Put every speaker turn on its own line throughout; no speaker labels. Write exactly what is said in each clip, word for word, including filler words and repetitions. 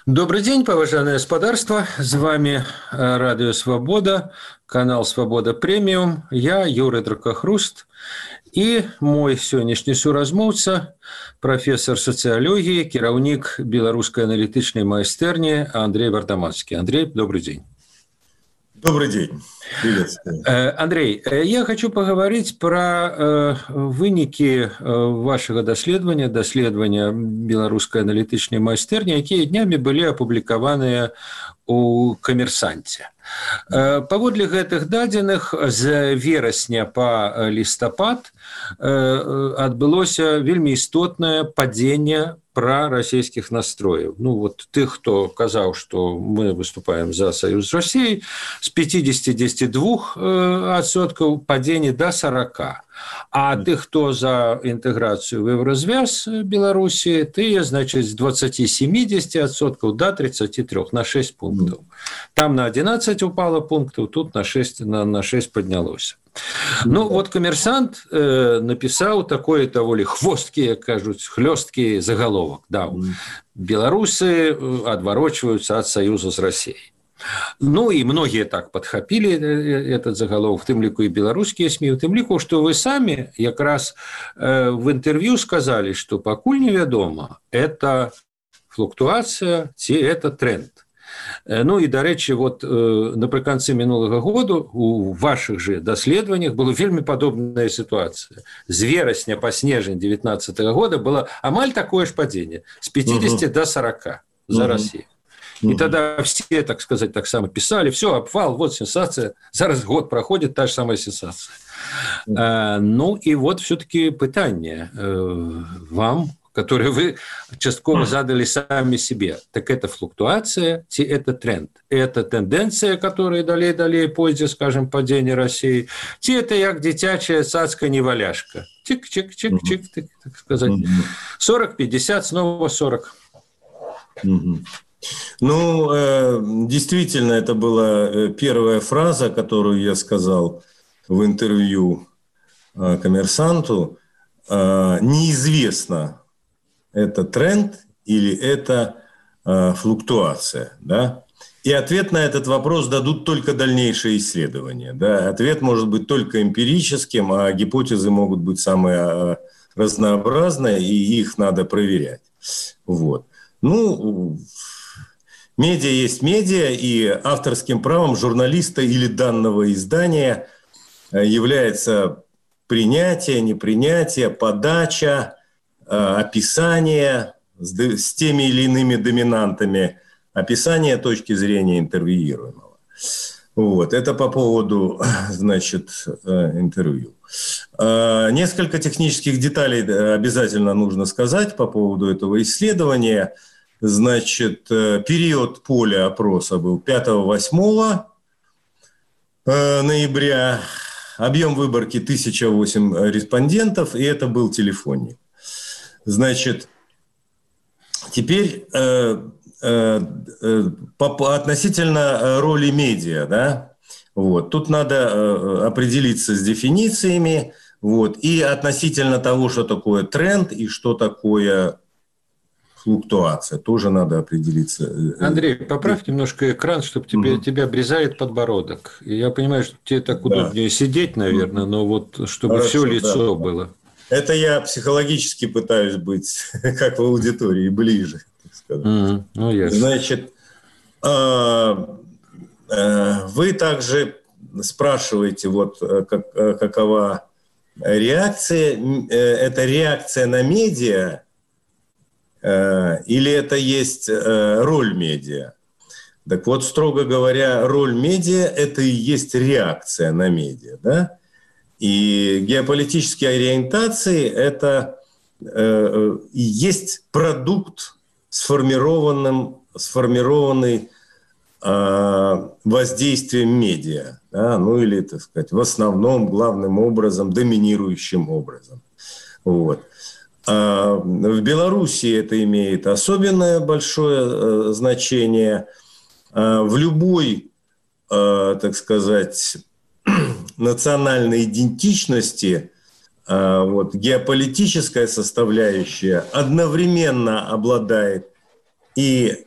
Добрый день, поважанное господарство. С вами Радио Свобода, канал Свобода Премиум. Я Юрий Дракохруст и мой сённяшні суразмоўца, профессор сацыялогіі, кіраўнік беларускай аналітычнай майстэрні Андрей Вардамацкі. Андрей, добрый день.
Добрый день. Приветствую.
Андрей, я хочу поговорить про вынікі вашага даследавання, даследавання беларускай аналітычнай майстэрні, якія днямі былі апублікаваныя у «Камерсанце». Паводле гэтых дадзеных з верасня па лістапад адбылося вельмі істотнае падзенне прарасійскіх настрояў. Ну, вот тых, хто казаў, што мы выступаем за саюз з Расіяй, з пятьдесят два адсоткаў падзення да сорока. А тых, хто за інтэграцыю в Еўразвяз Беларусі, тыя, значыць, з двадцати семидесяти адсоткаў да тридцати трёх, на шесть пунктаў. Там на одиннадцать упало пунктаў, тут на шесть, на, на шесть поднялося. Ну, вот «Коммерсант» э, написал такой даволі хвосткі, як кажуць, хлёсткі заголовок. Да, беларусы адварочваюцца ад саюза з Расіяй. Ну, и многие так подхапили этот заголовок, в тым ліку и белорусские СМИ, в тым ліку, что вы сами как раз э, в интервью сказали, что пакуль невядома, это флуктуация ці это тренд. Ну і, дарэчы, вот напрыканцы мінулага году у вашых же даследаваннях была вельмі падобная ситуация. З верасня па снежань девятнадцатого года было амаль такое ж падзенне, с пятидесяти uh-huh. до сорока за uh-huh. Россию. И uh-huh. тогда все, так сказать, так само писали, все, обвал, вот сенсация, зараз год проходит, та же самая сенсация. Uh-huh. А, ну и вот все-таки пытание э, вам, которые вы частково задали сами себе. Так это флуктуация, ці это тренд? Это тенденция, которая далей-далей пойдзе, скажем, падение России, ці это як дзіцячая цацка-неваляшка? Чик-чик-чик-чик, так сказать. сорок, пятьдесят, снова сорок.
Ну, э, действительно, это была первая фраза, которую я сказал в интервью э, «Коммерсанту». Э, неизвестно, это тренд или это э, флуктуация, да? И ответ на этот вопрос дадут только дальнейшие исследования, да? Ответ может быть только эмпирическим, а гипотезы могут быть самые разнообразные, и их надо проверять. Вот. Ну, медиа есть медиа, и авторским правом журналиста или данного издания является принятие, непринятие, подача, описание с теми или иными доминантами, описание точки зрения интервьюируемого. Вот. Это по поводу, значит, интервью. Несколько технических деталей обязательно нужно сказать по поводу этого исследования. Значит, период поля опроса был пятого-восьмого ноября, объем выборки тысяча восемь респондентов, и это был телефонник. Значит, теперь э, э, э, по, относительно роли медиа, да, вот, тут надо э, определиться с дефинициями, вот, и относительно того, что такое тренд и что такое флуктуация, тоже надо определиться.
Андрей, поправь немножко экран, чтобы тебе, угу. тебя обрезает подбородок. И я понимаю, что тебе так удобнее да. сидеть, наверное, но вот чтобы Хорошо, все лицо да. было.
Это я психологически пытаюсь быть, как в аудитории, ближе, так сказать. Mm, ну, yes. Значит, вы также спрашиваете, вот как, какова реакция. Это реакция на медиа или это есть роль медиа? Так вот, строго говоря, роль медиа – это и есть реакция на медиа, да? И геополитические ориентации – это э, есть продукт, сформированным, сформированный э, воздействием медиа, да? Ну или, так сказать, в основном, главным образом, доминирующим образом. Вот. А в Беларуси это имеет особенное большое э, значение. А в любой, э, так сказать, национальной идентичности вот, геополитическая составляющая одновременно обладает и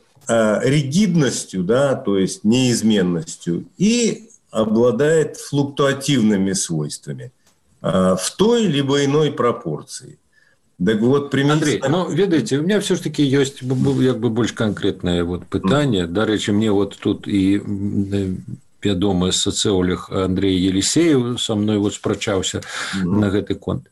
ригидностью, да, то есть неизменностью, и обладает флуктуативными свойствами в той либо иной пропорции. Так вот,
Андрей,
применительно...
ну, ведаеце, у меня все ж таки ёсць як бы больш канкрэтнае вот пытанне. Дарэчы, мне вот тут і вядомы сацыолог Андрей Елисеев со мной вот спрачаўся mm-hmm. на гэты конт.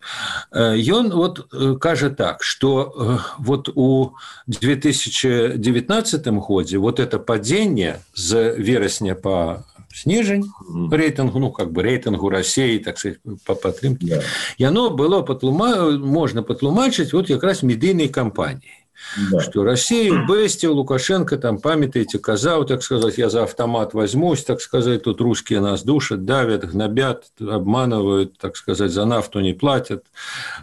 Ён вот кажа так, что вот у две тысячи девятнадцатым годзе вот это падение з верасня по снежень mm-hmm. рейтингу, ну как бы рейтингу России, так сказать, по падтрымке, yeah. и оно было патлума... можно патлумачыць вот как раз медийной кампанией. Да. Что Россию бэсціў, Лукашенко там, памятаете, казаў, так сказать, я за автомат возьмусь, так сказать, тут русские нас душат, давят, гнобят, обманывают, так сказать, за нафту не платят,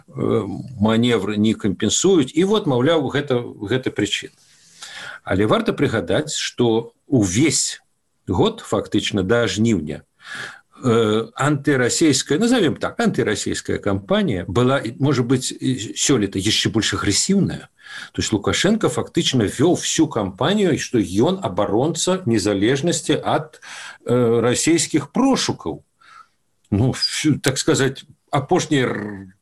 маневры не компенсуют. И вот, маўляў, гэта, гэта причина. Але варта прыгадаць, что увесь год, фактично, до жніўня, антироссийская, назовем так, антироссийская кампания была, может быть, сёлета еще больше агрессивная. То есть Лукашенко фактично вел всю кампанию, что он оборонца незалежности от э, российских прошуков. Ну, так сказать, апошняй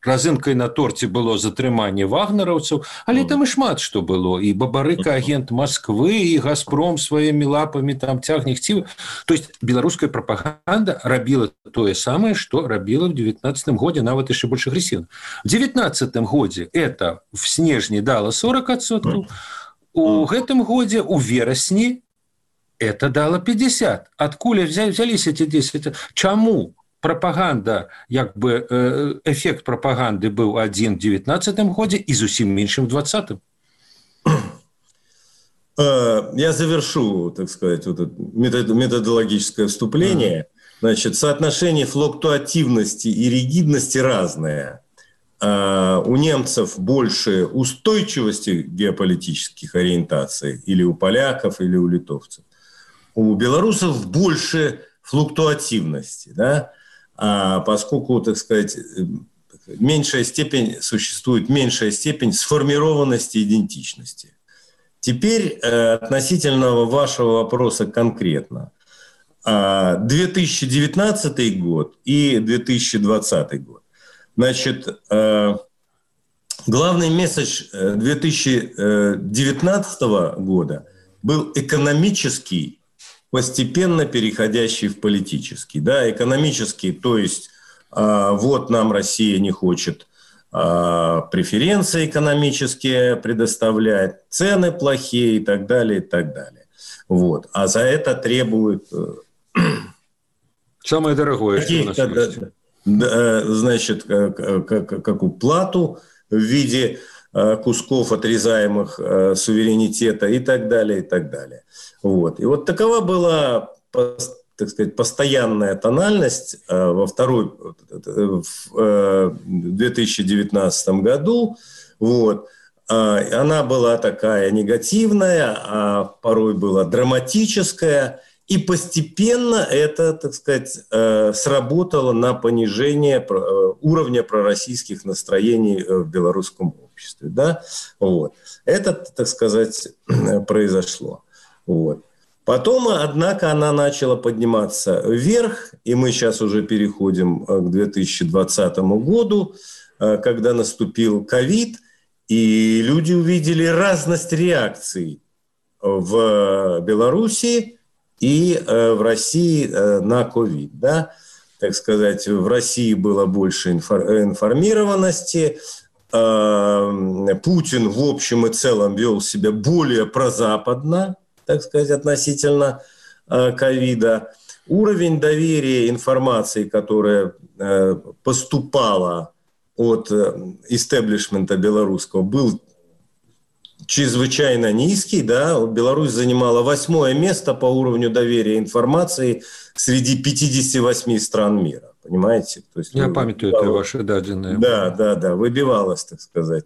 разынкай на торце было затрыманне вагнераўцаў, але там і шмат што было, і Бабарыка агент Москвы, і Газпром сваімі лапамі там цягне хцівы. То есть беларуская прапаганда рабіла тое самае, што рабіла в девятнадцатым годзе, нават яшчэ больш агрэсіўна. В девятнадцатым годзе это в снежні дала сорок адсоткаў, у гэтым годзе у верасні это дала пятьдесят. Адкуль взялись эти десять? Чаму? Пропаганда, як бы эффект пропаганды был один в девятнадцатым году и зусім меньшим в двадцатым.
Я завершу, так сказать, вот это методологическое вступление. Значит, соотношение флуктуативности и ригидности разное. У немцев больше устойчивости геополитических ориентаций, или у поляков, или у литовцев. У белорусов больше флуктуативности, да? А поскольку, так сказать, меньшая степень, существует меньшая степень сформированности идентичности. Теперь э, относительно вашего вопроса конкретно. А, две тысячи девятнадцатый год и две тысячи двадцатый год. Значит, э, главный месседж две тысячи девятнадцатого года был экономический, постепенно переходящий в политический. Да, экономический, то есть э, вот нам Россия не хочет э, преференции экономические предоставлять, цены плохие и так далее, и так далее. Вот. А за это требует... Э,
самое дорогое, что у нас есть.
Да, значит, как, как, как уплату в виде э, кусков, отрезаемых э, суверенитета и так далее, и так далее. Вот. И вот такова была, так сказать, постоянная тональность э, во второй, в э, две тысячи девятнадцатом году. Вот. Э, она была такая негативная, а порой была драматическая. И постепенно это, так сказать, э, сработало на понижение э, уровня пророссийских настроений в белорусском обществе. Да? Вот. Это, так сказать, произошло. Вот. Потом, однако, она начала подниматься вверх, и мы сейчас уже переходим к две тысячи двадцатому году, когда наступил ковид, и люди увидели разность реакций в Беларуси и в России на ковид. Да? Так сказать, в России было больше информированности, Путин в общем и целом вел себя более прозападно, так сказать, относительно ковида. Уровень доверия информации, которая э, поступала от истеблишмента белорусского, был чрезвычайно низкий. Да? Беларусь занимала восьмое место по уровню доверия информации среди пятидесяти восьми стран мира. Понимаете? То есть,
я памятаю, это ваши даденные.
Да, да, да, выбивалось, так сказать,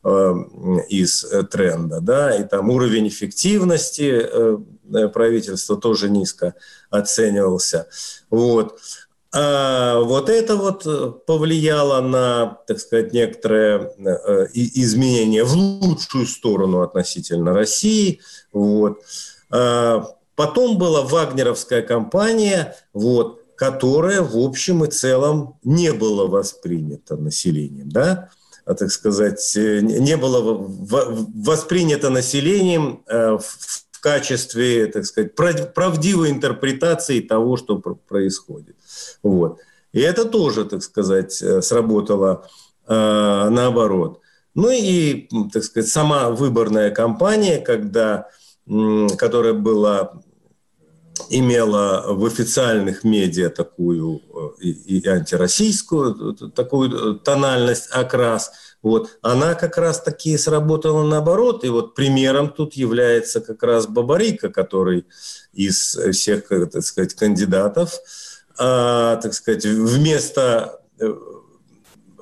э, из тренда. Да? И там уровень эффективности э, правительства тоже низко оценивался. Вот. А вот это вот повлияло на, так сказать, некоторые изменения в лучшую сторону относительно России. Вот. Потом была вагнеровская кампания, вот, которая в общем и целом не была воспринята населением, да, а, так сказать, не было воспринято населением в качестве, так сказать, правдивой интерпретации того, что происходит. Вот. И это тоже, так сказать, сработало э, наоборот. Ну и, так сказать, сама выборная кампания, когда, э, которая была, имела в официальных медиа такую э, и, и антироссийскую такую тональность, окрас, вот, она как раз-таки сработала наоборот. И вот примером тут является как раз Бабарико, который из всех, так сказать, кандидатов, а, так сказать, вместо,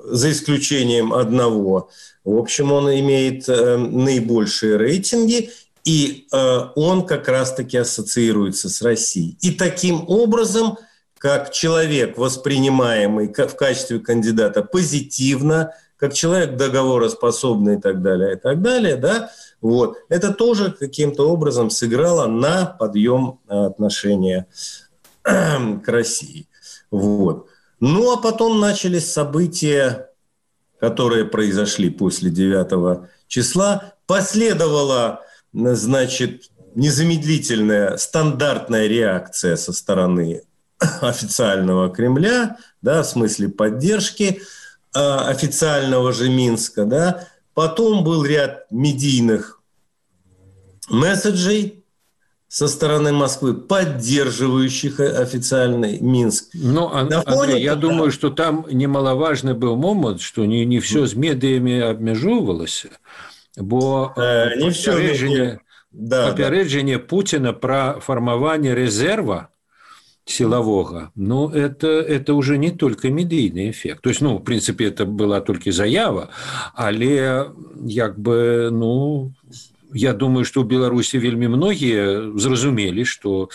за исключением одного, в общем, он имеет э, наибольшие рейтинги, и э, он как раз-таки ассоциируется с Россией. И таким образом, как человек, воспринимаемый в качестве кандидата позитивно, как человек договороспособный и так далее, и так далее, да, вот, это тоже каким-то образом сыграло на подъем отношения к России. Вот. Ну, а потом начались события, которые произошли после девятого числа. Последовала, значит, незамедлительная стандартная реакция со стороны официального Кремля, да, в смысле поддержки официального же Минска, да. Потом был ряд медийных месседжей со стороны Москвы, поддерживающих официальный Минск.
Ну, Андрей, я думаю, что там немаловажный был момент, что не, не все з медіями обмежовувалося, бо
э, не
попередження,
да,
попередження да. Путіна про формування резерва силового, ну, это, это уже не только медийный эффект. То есть, ну, в принципе, это была только заява, але, як бы, ну, я думаю, что в Беларуси вельмі многие зразумели, что,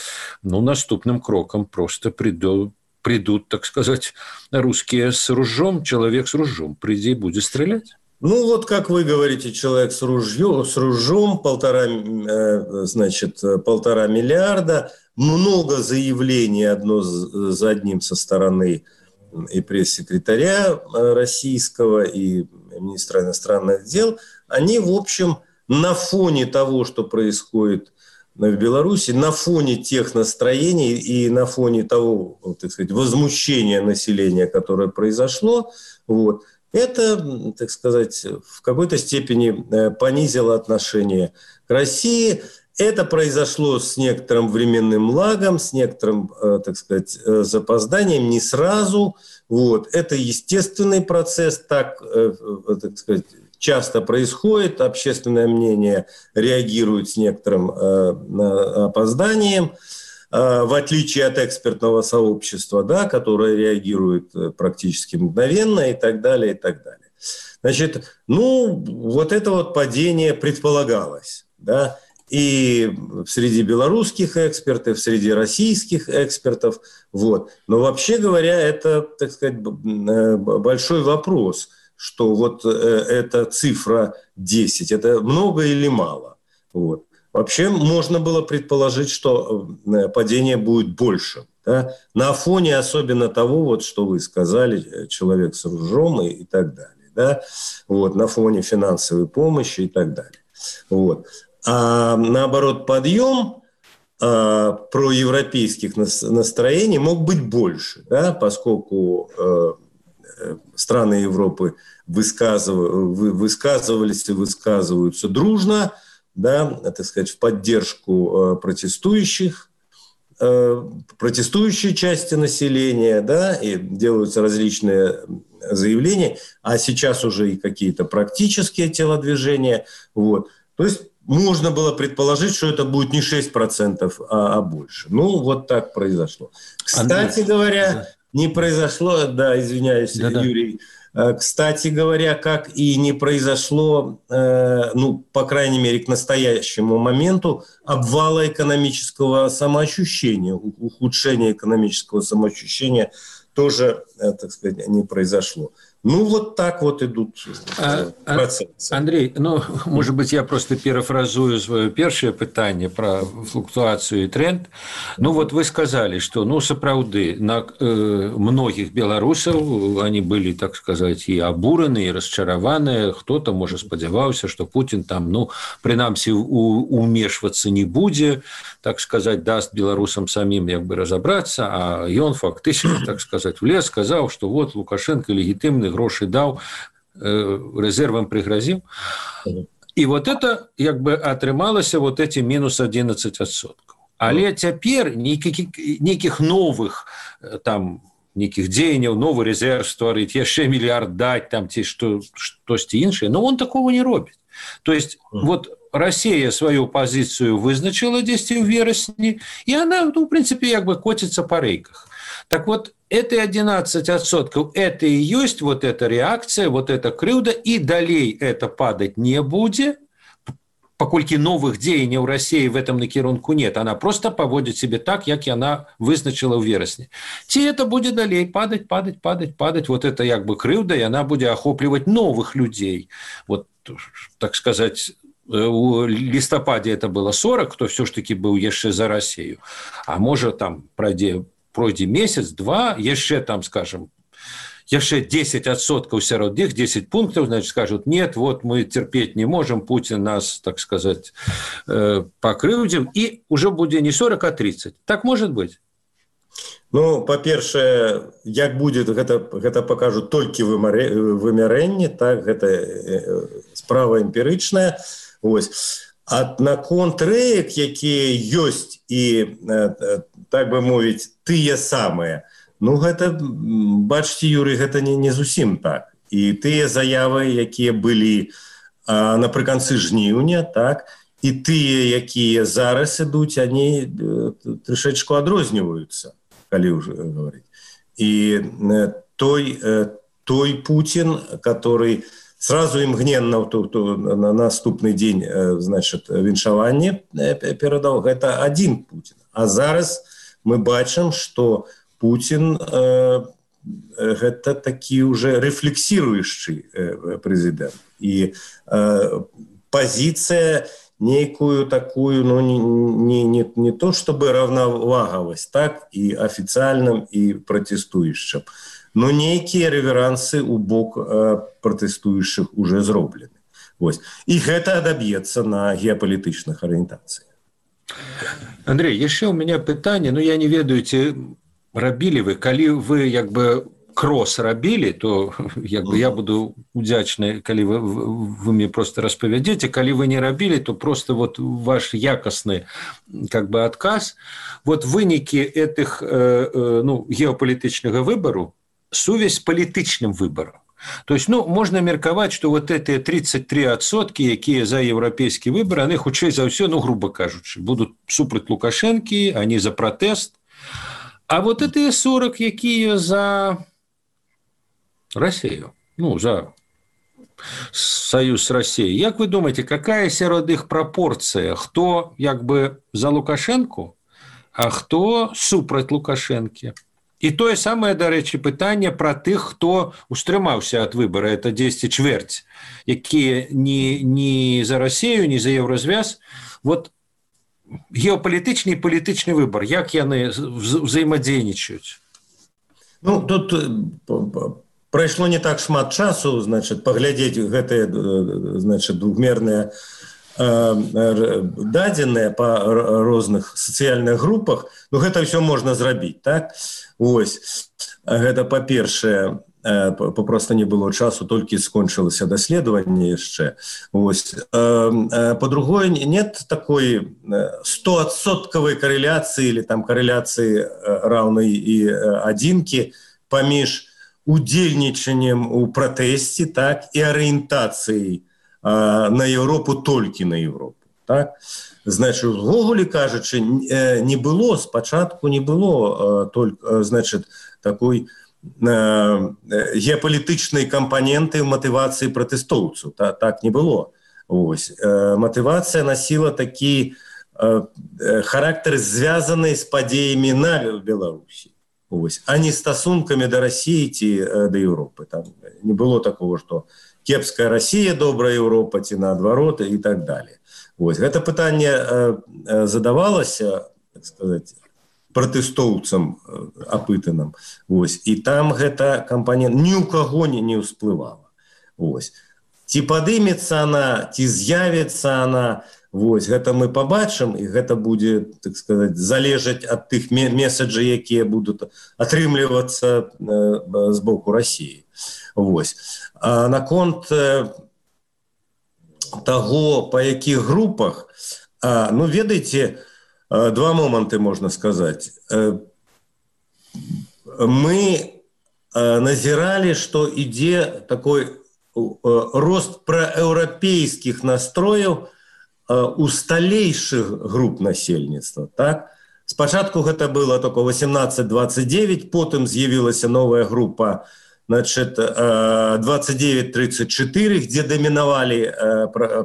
ну, наступным кроком просто придут, придут, так сказать, русские с ружьем, человек с ружьем, приди и будет стрелять.
Ну, вот как вы говорите, человек с ружьем, с ружьем полтора, значит, полтора миллиарда, много заявлений одно за одним со стороны и пресс-секретаря российского, и министра иностранных дел, они, в общем, на фоне того, что происходит в Беларуси, на фоне тех настроений и на фоне того, так сказать, возмущения населения, которое произошло, вот, это, так сказать, в какой-то степени понизило отношение к России. Это произошло с некоторым временным лагом, с некоторым, так сказать, запозданием, не сразу. Вот. Это естественный процесс, так, так сказать, часто происходит. Общественное мнение реагирует с некоторым опозданием, в отличие от экспертного сообщества, да, которое реагирует практически мгновенно и так далее, и так далее. Значит, ну, вот это вот падение предполагалось, да, и среди белорусских экспертов, среди российских экспертов, вот. Но вообще говоря, это, так сказать, большой вопрос, что вот эта цифра десять, это много или мало, вот. Вообще можно было предположить, что падение будет больше. Да? На фоне особенно того, вот, что вы сказали, человек с ружьем и, и так далее. Да? Вот, на фоне финансовой помощи и так далее. Вот. А наоборот, подъем а, проевропейских настроений мог быть больше, да? Поскольку а, страны Европы высказывали, высказывались и высказываются дружно, да, так сказать, в поддержку протестующих, протестующей части населения, да, и делаются различные заявления, а сейчас уже и какие-то практические телодвижения, вот. То есть можно было предположить, что это будет не шесть процентов, а, а больше. Ну, вот так произошло. Кстати Андрей, говоря, да. не произошло, да, извиняюсь, да, Юрий, да. Кстати говоря, как и не произошло, ну, по крайней мере, к настоящему моменту, обвала экономического самоощущения, ухудшения экономического самоощущения тоже, так сказать, не произошло. Ну, вот так вот идут
а,
процессы.
Андрей, ну, может быть, я просто перефразую свое первое питание про флуктуацию и тренд. Ну, вот вы сказали, что, ну, сапраўды, на э, многих белорусов они были, так сказать, и обурены, и расчарованы. Кто-то, может, сподевался, что Путин там, ну, принамсі, умешиваться не будет, так сказать, даст белорусам самим, как бы, разобраться, а он фактически, так сказать, влез, сказал, что вот Лукашенко легитимный, гроши даў, резервам пригрозил. И вот это, как бы, атрымалася вот эти минус одиннадцать адсоткаў. Але цяпер нейкіх новых там нейкіх дзеянняў, новый резерв стварыць, яшчэ мільярд даць там ці што штосьці іншае, но он такого не робіць. То есть вот Россия свою позицию вызначила дзесьці ў верасні, и она, ну, в принципе, как бы котится по рейках. Так вот, эти одиннадцать адсоткаў, это и есть вот эта реакция, вот эта крыўда, и далей это падать не будет, паколькі новых дзеянняў в России в этом накірунку нет. Она просто поводит себя так, как она вызначила в верасні. Ці это будет далей падать, падать, падать, падать. Вот это как бы крыўда, и она будет охопливать новых людей. Вот, так сказать, у листопаде это было сорок, кто все ж таки был яшчэ за Россию. А может там пройдет пройдзе месяц, два, яшчэ там, скажем, яшчэ десять адсоткаў сярод іх, десять пунктов, значит, скажут, нет, вот мы терпеть не можем, Путин нас, так сказать, покрыўдзіў, и уже будет не сорок, а тридцать. Так может быть?
Ну, па-першае, як будет, гэта, гэта пакажуць толькі вымярэнні, так, гэта справа эмпірычная. Вось. А наконт рэек, якія ёсць і, так бы мовіць, тыя самыя, ну, гэта, бачце, Юрый, гэта не, не зусім так. І тыя заявы, якія былі а, напрыканцы жніўня, так, і тыя, якія зараз ідуць, они трышечку адрозніваюцца, калі ўжо гаварыць. І той, той Путин, который сразу и мгненно на наступный день, значит, віншаванне перадаў, гэта один Путин. А зараз мы бачым, что Путин э, гэта такі уже рефлексирующий э, президент. И э, позиция некую такую, ну, не, не, не то чтобы равноваговость, так, и официальным, и протестующим. Но некие реверансы у бок э, протестующих уже зроблены. Вось. И это добьется на геополитичных ориентациях.
Андрей, еще у меня питание, ну, я не ведаю, ці рабілі вы, калі вы, як бы, крос рабілі, то, як бы, я буду удзячны, калі вы, вы мне просто распавядзеце, калі вы не рабілі, то просто вот ваш якасны, как бы, адказ, вот вынікі этих, э, э, ну, геополитичного выбору, сувязь с палітычным выбором. То есть, ну, можно мерковать, что вот эти тридцать три адсотки, якія за европейский выбор, они хутчэй за ўсё, ну, грубо кажучы, будут супраць Лукашенки, они за протест. А вот эти сорок, якія за Россию, ну, за союз с Россией. Как вы думаете, какая сярод іх пропорция? Кто, як бы, за Лукашенко, а кто супраць Лукашенки? І тое самае, дарэчы, пытанне пра тых, хто устрымаўся ад выбара, это дзесьці чвэрць, якія не, не за Россию, не за Еврозвяз. Вот геополитичный и политичный выбор, як яны взаимодейничают?
Ну, тут прайшло не так шмат часу, значит, паглядзець гэтыя, значит, двухмерныя дадзеныя па розных сацыяльных групах, ну, гэта ўсё можна зрабіць, так? Ось, гэта па-першае, попросту не было часу, толькі скончылася даследаванне яшчэ. Ось. По-другое, нет такой стоадсоткавай корреляции или там корреляции равной и адзінкі паміж удзельнічаннем у пратэсце, так, і арыентацыяй на Европу, толькі на Европу, так? Значит, увогуле кажучы, не было, спачатку не было, только, значит, такой геополитичной компоненты мотивации протестовцев. Так, так не было. Ось. Мотивация носила такие характер, связанный с подеями на Беларуси. вось, а не стасункамі да Расіі ці да Еўропы. Там не было такого, што кепская Расія, добрая Еўропа, ці наадварот і так далее. Вось, гэта пытанне задавалася, так сказаць, пратэстоўцам апытаным. Вось, і там гэта кампанент ні ў каго не, не ўсплывала. Вось. Ці падымецца она, ці з'явіцца она, вось, гэта мы пабачым, і гэта будзе, так сказаць, залежаць ад тых месаджаў, якія будуць атрымлівацца з боку Расіі. Вось. А наконт таго, па якіх групах, ну, ведаеце, два моманты можна сказаць. Мы назіралі, што ідзе такой рост праеўрапейскіх настрояў у сталейшых груп насельніцтва. Так? Спачатку гэта было только восемнадцать двадцать девять, потым з'явілася новая група, значит, двадцать девять тридцать четыре, где доминавали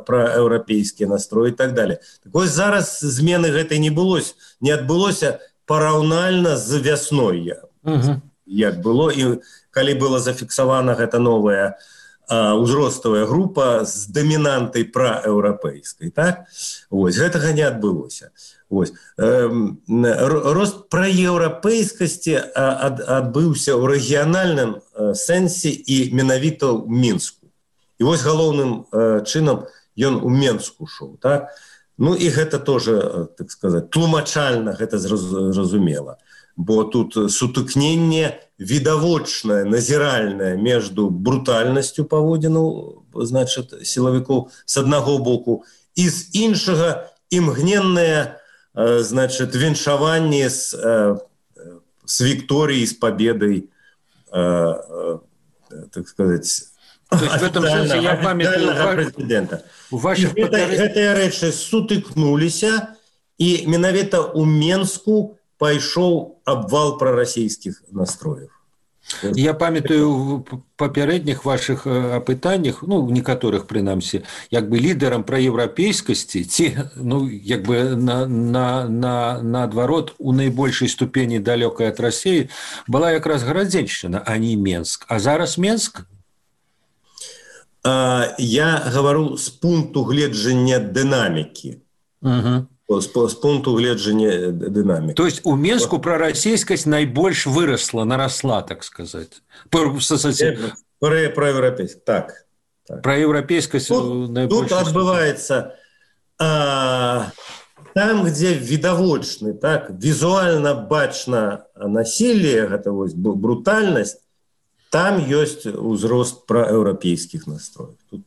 праеўрапейскія настроі і так далее. Так вось зараз змены гэтай не было, не адбылося параўнальна з вясной, угу. Як было, і калі была зафіксавана гэта новая узроставая група з дамінантай праеўрапейскай, так? Вось, гэтага не адбылося. Вось. Рост праеўрапейскасці адбыўся ў рэгіянальным сэнсе і менавіта ў Мінску. І вось галоўным чынам ён у Мінску шоў, так? Ну і гэта тоже, так сказаць, тлумачальна гэта зразумела. Бо тут сутыкненне відавочнае, назіральнае между брутальнасцю паводзінаў, значит, сілавікоў з аднаго боку, і з іншага імгненнае, значит, віншаванне з, з Вікторіяй, з победой, так сказать, официального президента. Гэтыя рэчы сутыкнуліся, і менавіта ў Менску пайшоў абвал прарасійскіх настроев.
Я памятаю в папярэдніх ваших апытаннях, ну, некаторых прынамсі, як бы лідарам праеўрапейскасці, ці, ну, як бы на, на, на, наадварот, у найбольшай ступені далёкай ад Расіі была якраз Гарадзеншчына, а не Менск. А зараз Менск?
А, я гавару з пункту гледжання дынамікі.
Угу.
З, з пункту гледжання дынамікі.
То есть у Менску прарасійскасць найбольш вырасла, нарасла, так сказать. Про,
про, про европейскость, так. так.
Про европейскость
тут, тут отбывается а, там, где видовочный, так, визуально бачно насилие, это вот брутальность, там есть узрост проевропейских настроев. Тут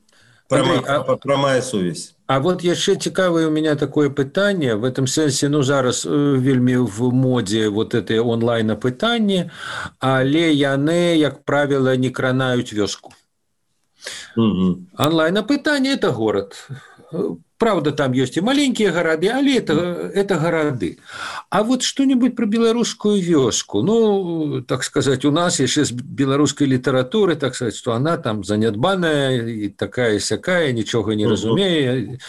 прямая, а, прямая совесть.
А вот яшчэ цікавае у меня такое пытанне, в этом сэнсе, ну, зараз вельмі в модзе вот это онлайн-апытанне, але яны, як правіла, не кранаюць вёску. Угу. Онлайн-апытанне – это город. Правда, там есть и маленькие города, але это, это города. А вот что-нибудь про белорусскую вёску. Ну, так сказать, у нас еще с белорусской литературы, так сказать, что она там занядбаная и такая-сякая, ничего не разумея.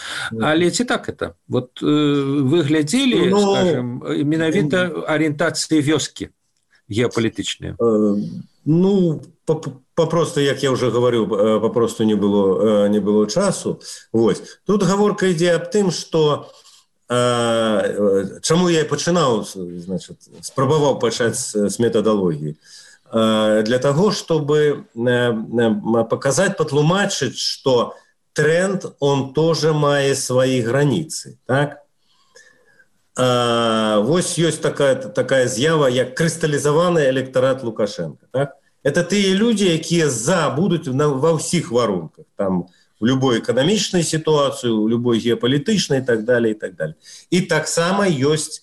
Але ці так это? Вот э, вы глядели, ну, скажем, менавіта ориентации вёски геополитичные?
Э, ну, попросту, як я уже говорю, попросту не было, не было часу. Вось. Тут гаворка ідзе аб тым, што э, чаму я і пачынаў, значит, спрабаваў пачаць з метадалогіі. Э, для таго, чтобы э, показать, патлумачыць, што тренд, он тоже мае свои границы. Так? Э, вось ёсць такая, такая з'ява, як крысталізаваны электарат Лукашенко. Так? Это тыя людзі, якія за будуць ва ўсіх варунках, там в любой эканамічнай сітуацыі, у любой геапалітычнай і так далее, і так далее. І таксама ёсць,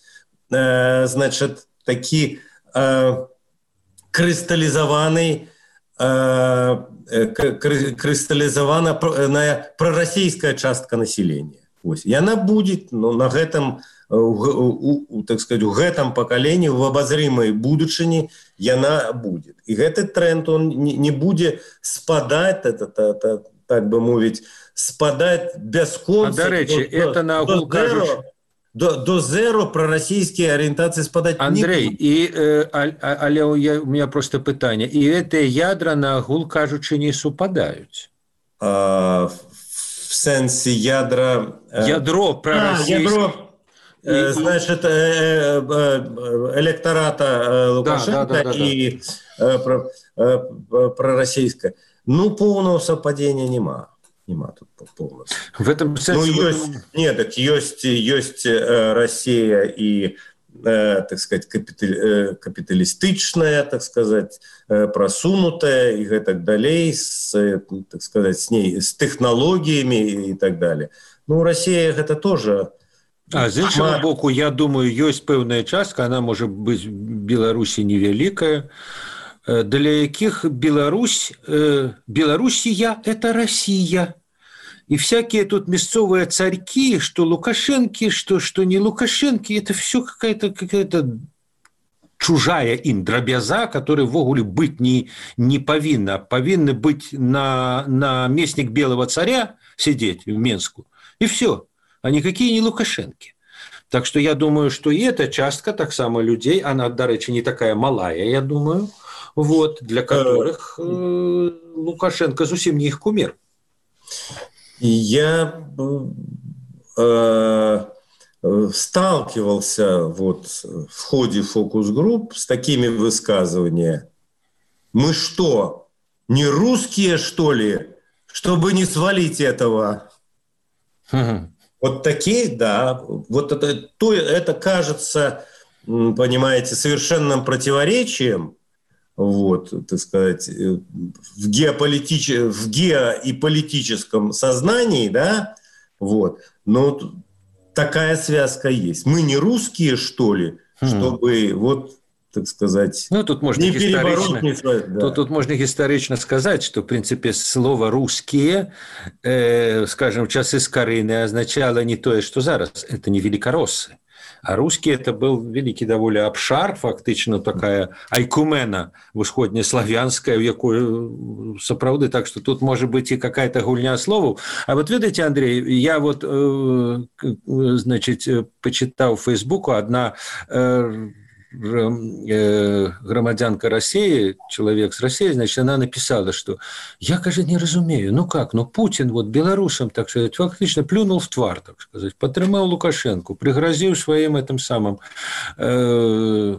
э, значит, такі э, крысталізаваны э, кры, крысталізавана прарасійская частка населения. Вось. Яна будзе, ну, на гэтым, у, у, у, так сказать, у гэтым пакаленні, в абазрымай будучыні яна будзе. І гэты тренд, он не, не будзе спадаць, это, это, это, так бы мовіць, спадаць бясконца.
А, до речі, это на агул кажучы,
до, до зеро пророссийские ориентации спадать
Андрей,
не будут.
і, е, а, але я, у меня просто питання. І гэтыя ядра, на агул кажучы, не супадаюць?
А, в сенсе ядра...
Ядро пророссийское.
А, ядро... И, значит, электората Лукашенко, да, да, да, да, и да. пророссийское. Ну, полного совпадения нема. Нема тут полного.
В этом сенсе...
Ну, есть, нет, так есть, есть Россия и, так сказать, капиталистичная, так сказать, просунутая и так далее, с, так сказать, с ней, с технологиями и так далее. Ну, Россия это тоже...
А з іншого боку, я думаю, ёсць пэўная частка, она можа быць Беларусі невялікая, для якіх Беларусь, Белоруссия – это Россия. И всякие тут мясцовые царьки, что Лукашенки, что, что не Лукашенки, это все какая-то какая-то чужая им дробяза, которая ввогуле быть не, не повинна. Повинны быть на, на местник белого царя сидеть в Минску, и все. А никакие не Лукашенки. Так что я думаю, что и эта частка, так само людей, она, до речи, не такая малая, я думаю, вот, для которых э, Лукашенко совсем не их кумир.
Я э, сталкивался вот в ходе фокус-групп с такими высказываниями. Мы что, не русские, что ли, чтобы не свалить этого? Вот такие, да, вот это, то, это кажется, понимаете, совершенным противоречием, вот, так сказать, в, геополитич... в гео- и политическом сознании, да, вот, но такая связка есть. Мы не русские, что ли, чтобы, mm. вот, так сказать,
ну, тут можно
не перебороть, не свалить, да.
тут, тут можно исторично сказать, что, в принципе, слово «русские», э, скажем, в часы Скорыны означало не то, что зараз, это не великороссы. А русские это был великий довольно обшар, фактично такая айкумена усходнеславянская, в якую сапраўды, так что тут может быть и какая-то гульня словаў. А вот видите, Андрей, я вот, э, значит, почитал в Фейсбуку, одна э, громадянка России, человек с России, значит, она написала, что я, кажется, не разумею, ну как, ну Путин вот белорусам, так сказать, фактично плюнул в твар, так сказать, потрымал Лукашенко, пригрозил своим этим самым э,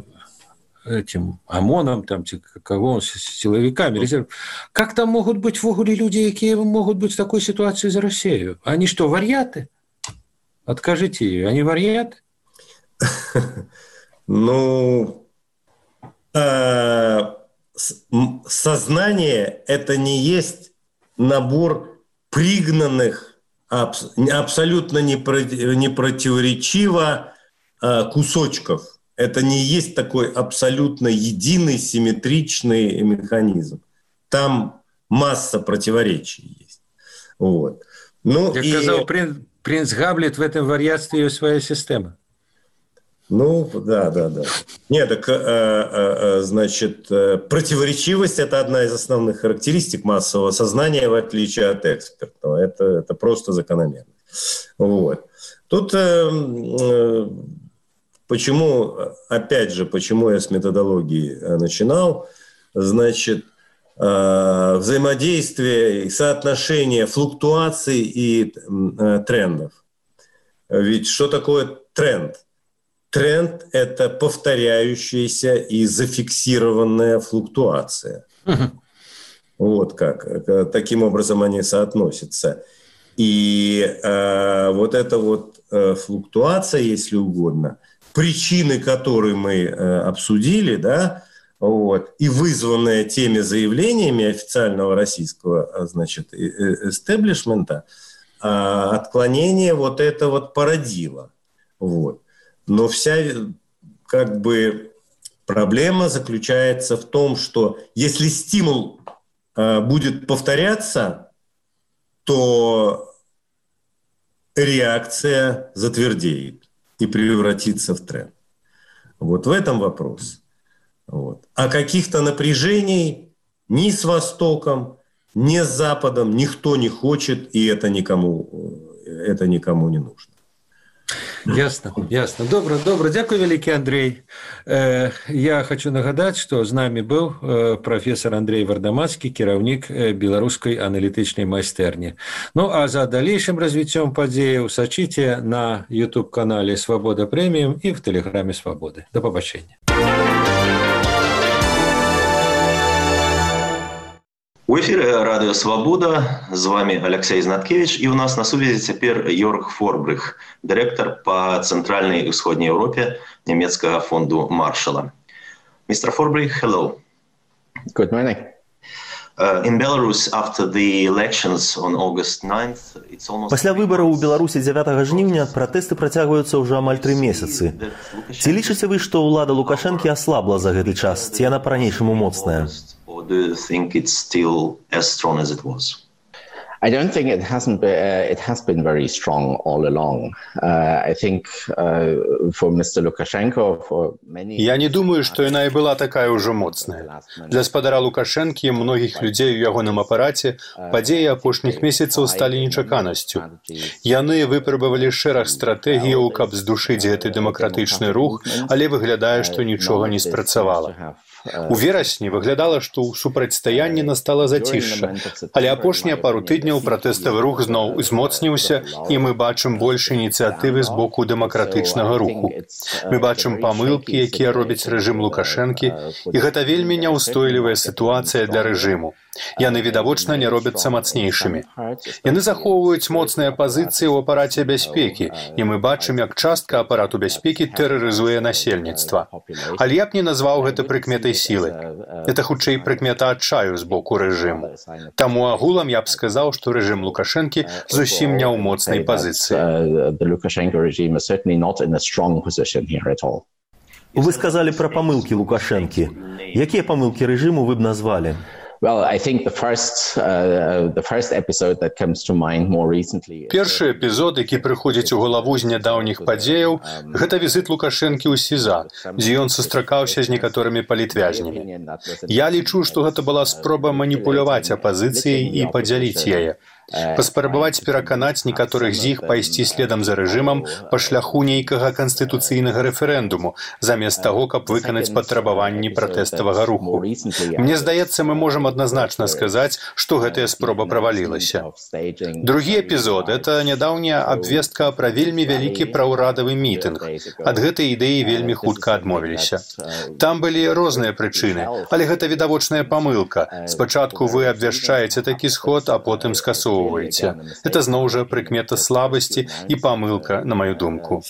этим ОМОНом, там, кого, силовиками, резерв. Как там могут быть в ogóle люди, которые могут быть в такой ситуации за Россию? Они что, варьяты? Откажите ее, они варьяты?
Ну, э, сознание – это не есть набор пригнанных, абс, абсолютно не, не противоречиво э, кусочков. Это не есть такой абсолютно единый, симметричный механизм. Там масса противоречий есть. Вот. Ну,
Как
и...
сказал принц, принц Гамлет, в этом варьятстве есть своя система.
Ну, да, да, да. Нет, так, э, э, значит, противоречивость – это одна из основных характеристик массового сознания, в отличие от экспертного. Это, это просто закономерно. Вот. Тут э, э, почему, опять же, почему я с методологии начинал, значит, э, взаимодействие и соотношение флуктуаций и э, трендов. Ведь что такое тренд? Тренд – это повторяющаяся и зафиксированная флуктуация. Uh-huh. Вот как. Таким образом они соотносятся. И э, вот эта вот э, флуктуация, если угодно, причины которой мы э, обсудили, да, вот, и вызванная теми заявлениями официального российского, значит, эстеблишмента, э, отклонение вот это вот породило. Вот. Но вся, как бы, проблема заключается в том, что если стимул э, будет повторяться, то реакция затвердеет и превратится в тренд. Вот в этом вопрос. Вот. А каких-то напряжений ни с Востоком, ни с Западом никто не хочет, и это никому, это никому не нужно.
Ясно, ясно. Добра, добра. Дякую вялікі, Андрей. Э, я хочу нагадаць, што з намі быў э, прафесор Андрей Вардамацкі, кіраўнік э, беларускай аналітычнай майстэрні. Ну, а за далейшым развіццём падзеяў сачыце на YouTube-канале «Свабода Прэміум» і в тэлеграме «Свабоды». До пабачэння.
У эфире Радио Свобода, с вами Алексей Знаткевич, и у нас на связи теперь Йорг Форбрих, директор по Центральной и Исходной Европе немецкого фонду Маршалла. мистер Форбрих, hello.
Good morning.
Uh, in Belarus, after the elections on August ninth, it's almost...
Пасля выбараў у Беларусі дзявятага жніўня пратэсты працягваюцца ўжо амаль тры месяцы. Ці лічыце вы, што ўлада Лукашэнкі аслабла за гэты час, ці яна па-ранейшаму моцная?
Or do you think it's still as strong as it was?
I don't think it hasn't been, uh, it has been very strong all along. Uh, I think uh, for мистер Lukashenko, for many...
Я не думаю, што яна і была такая ўжо моцная. Для спадара Лукашэнкі і многіх людзей у ягоным апараце падзеі апошніх месяцаў сталі нечаканасцю. Яны выпрабавалі шэраг стратэгіяў, каб здушыць гэты дэмакратычны рух, але выглядае, што нічога не спрацавала. У верасні выглядала, што ў супрацьстаянні настала зацішша, але апошнія пару тыдняў пратэставы рух зноў узмоцніўся, і мы бачым больш ініцыятывы з боку дэмакратычнага руху. Мы бачым памылкі, якія робіць рэжым Лукашэнкі, і гэта вельмі няўстойлівая сітуацыя для рэжыму. Яны відавочна не робяцца мацнейшымі. Яны захоўваюць моцныя пазіцыі ў апараце бяспекі, і мы бачым, як частка апарату бяспекі тэрарызуе насельніцтва. Але я б не назваў гэта прыкметай сілы. Это хутчэй прыкмета адчаю з боку рэжыму. Таму агулам я б сказаў, што рэжым Лукашэнкі зусім не ў моцнай пазіцыі.
Вы сказалі пра памылкі Лукашэнкі. Якія памылкі рэжыму вы б назвалі?
Well, I think the first, uh, the first episode that comes to mind more recently...
Першы эпізод, які прыходзіць у галаву з нядаўніх падзеяў, гэта візіт Лукашэнкі ў СІЗА, дзе ён сустракаўся з некаторымі палітвязнямі. Я лічу, што гэта была спроба маніпуляваць апазіцыяй і падзяліць яе. Паспрабаваць пераканаць некаторых з іх пайсці следам за рэжымам па шляху нейкага канстытуцыйнага рэферэндуму, замест таго, каб выканаць патрабаванні пратэставага руху. Мне здаецца, мы можам адназначна сказаць, што гэтая спроба правалілася. Другі эпізод – это нядаўняя абвестка пра вельмі вялікі праўрадавы мітынг. Ад гэтай ідэі вельмі хутка адмовіліся. Там былі розныя прычыны, але гэта відавочная памылка. Спачатку вы абвяшчаеце такі сход, а потым скасоўваеце. Это зноў жа прыкмета слабасці і памылка, на маю думку.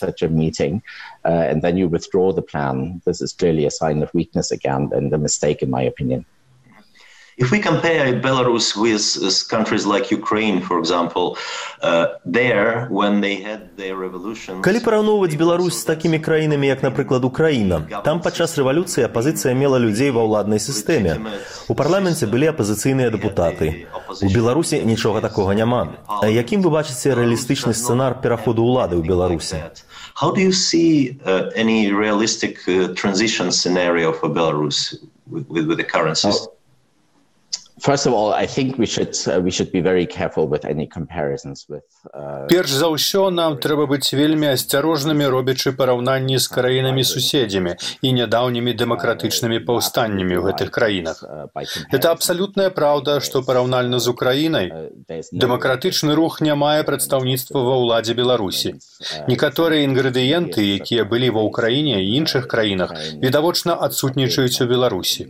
And then you withdraw the plan. This is clearly a sign of weakness again and a mistake in my opinion.
If we compare Belarus with countries like Ukraine, for example, uh, there, when they had their revolution...
Калі параўноўваць Беларусь з такімі краінамі, як, напрыклад, Украіна, там падчас рэвалюцыі апазіцыя мела людзей ва ўладнай сістэме. У парламенце былі апазіцыйныя дэпутаты. У Беларусі нічога такога няма. А якім вы бачыце рэалістычны сцэнар пераходу ўлады ў Беларусі?
How do you see uh, any realistic uh, transition scenario for Belarus with, with, with the current system?
First of all, I think we should uh, we should be very careful with any comparisons with. Uh,
Перш за ўсё, нам трэба быць вельмі асцярожнымі, робячы параўнанні з краінамі-суседзямі і нядаўнімі дэмакратычнымі паўстаннямі ў гэтых краінах. Это абсалютная праўда, што параўнальна з Украінай дэмакратычны рух не мае прадстаўніцтва ва ўладзе Беларусі. Некаторыя інгрэдыенты, якія былі ва Ўкраіне і іншых краінах, відавочна адсутнічаюць у Беларусі.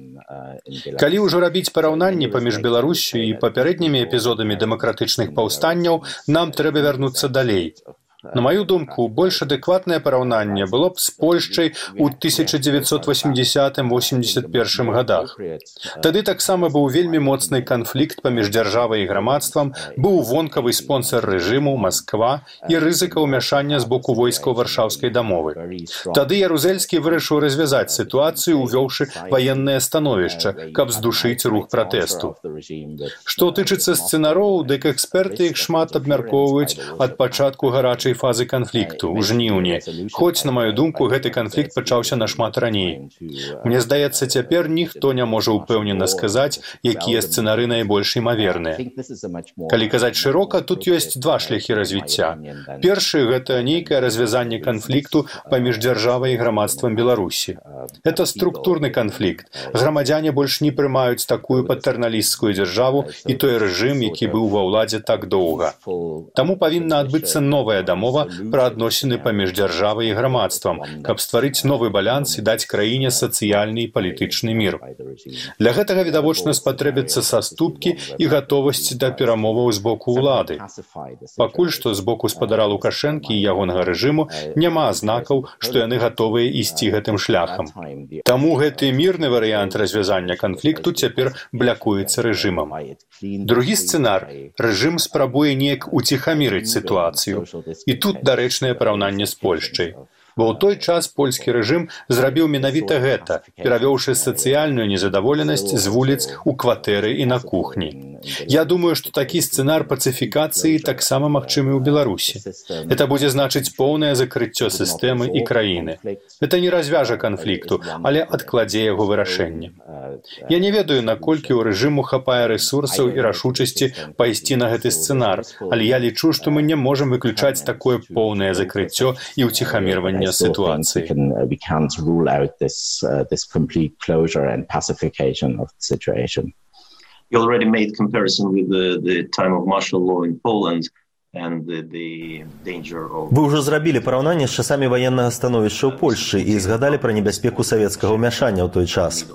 Калі ўжо рабіць параўнанні паміж Беларуссю і папярэднімі эпізодамі дэмакратычных паўстанняў, нам трэба вярнуцца далей. На маю думку, больш адэкватнае параўнанне было б з Польшчай у тысяча дзевяцьсот восемьдесятым — восемьдесят первым гадах. Тады таксама быў вельмі моцны канфлікт паміж дзяржавай і грамадствам, быў вонкавы спонсар рэжыму, Масква, і рызыка ўмяшання з боку войскаў Варшаўскай дамовы. Тады Ярузельскі вырашыў развязаць сітуацыю, увёўшы ваеннае становішча, каб здушыць рух пратэсту. Што тычыцца сцэнароў, дык эксперты іх шмат абмяркоўваюць ад пачатку гарачай першай фазы канфлікту ў жніўні, хоць, на маю думку, гэты канфлікт пачаўся нашмат раней. Мне здаецца, цяпер ніхто не можа ўпэўнена сказаць, якія сцэнары найбольш імаверныя. Калі казаць шырока, тут ёсць два шляхі развіцця. Першы – гэта нейкае развязанне канфлікту паміж дзяржавай і грамадствам Беларусі. Это структурны канфлікт. Грамадзяне больш не прымаюць такую патэрналісцкую дзяржаву і той рэжым, які быў ва ўладзе так доўга. Таму павінна адбыцца новая дамова пра адносіны паміж дзяржавай і грамадствам, каб стварыць новы баланс і даць краіне сацыяльны і палітычны мір. Для гэтага відавочна спатрэбяцца саступкі і гатовасць да перамоваў з боку ўлады. Пакуль што з боку спадара Лукашэнкі і ягонага рэжыму няма знакаў, што яны гатовыя ісці гэтым шляхам. Таму гэты мірны варыянт развязання канфлікту цяпер блякуецца рэжымам. Другі сцэнар – рэжым спрабуе неяк уціхамірыць сітуацыю. І тут дарэчнае параўнанне з Польшчай. Бо ў той час польскі рэжым зрабіў менавіта гэта, перавёўшы сацыяльную незадаволенасць з вуліц у кватэры і на кухні. Я думаю, што такі сцэнар пацыфікацыі таксама магчымы ў Беларусі. Это будзе значыць поўнае закрыццё сістэмы і краіны. Это не развяжа канфлікту, але адкладзе яго вырашэнне. Я не ведаю, наколькі ў рэжыму хапае рэсурсаў і рашучасці пайсці на гэты сцэнар, але я лічу, што мы не можам выключаць такое поўнае закрыццё і ўціхамірванне ситуации.
We can't rule out this uh, this complete closure and pacification of the situation.
You already made comparison with the, the time of martial law in Poland and the, the danger of...
Вы ўжо зрабілі параўнанне з часамі ваеннага становішча ў Польшчы і згадалі пра небяспеку савецкага ўмяшання ў той час.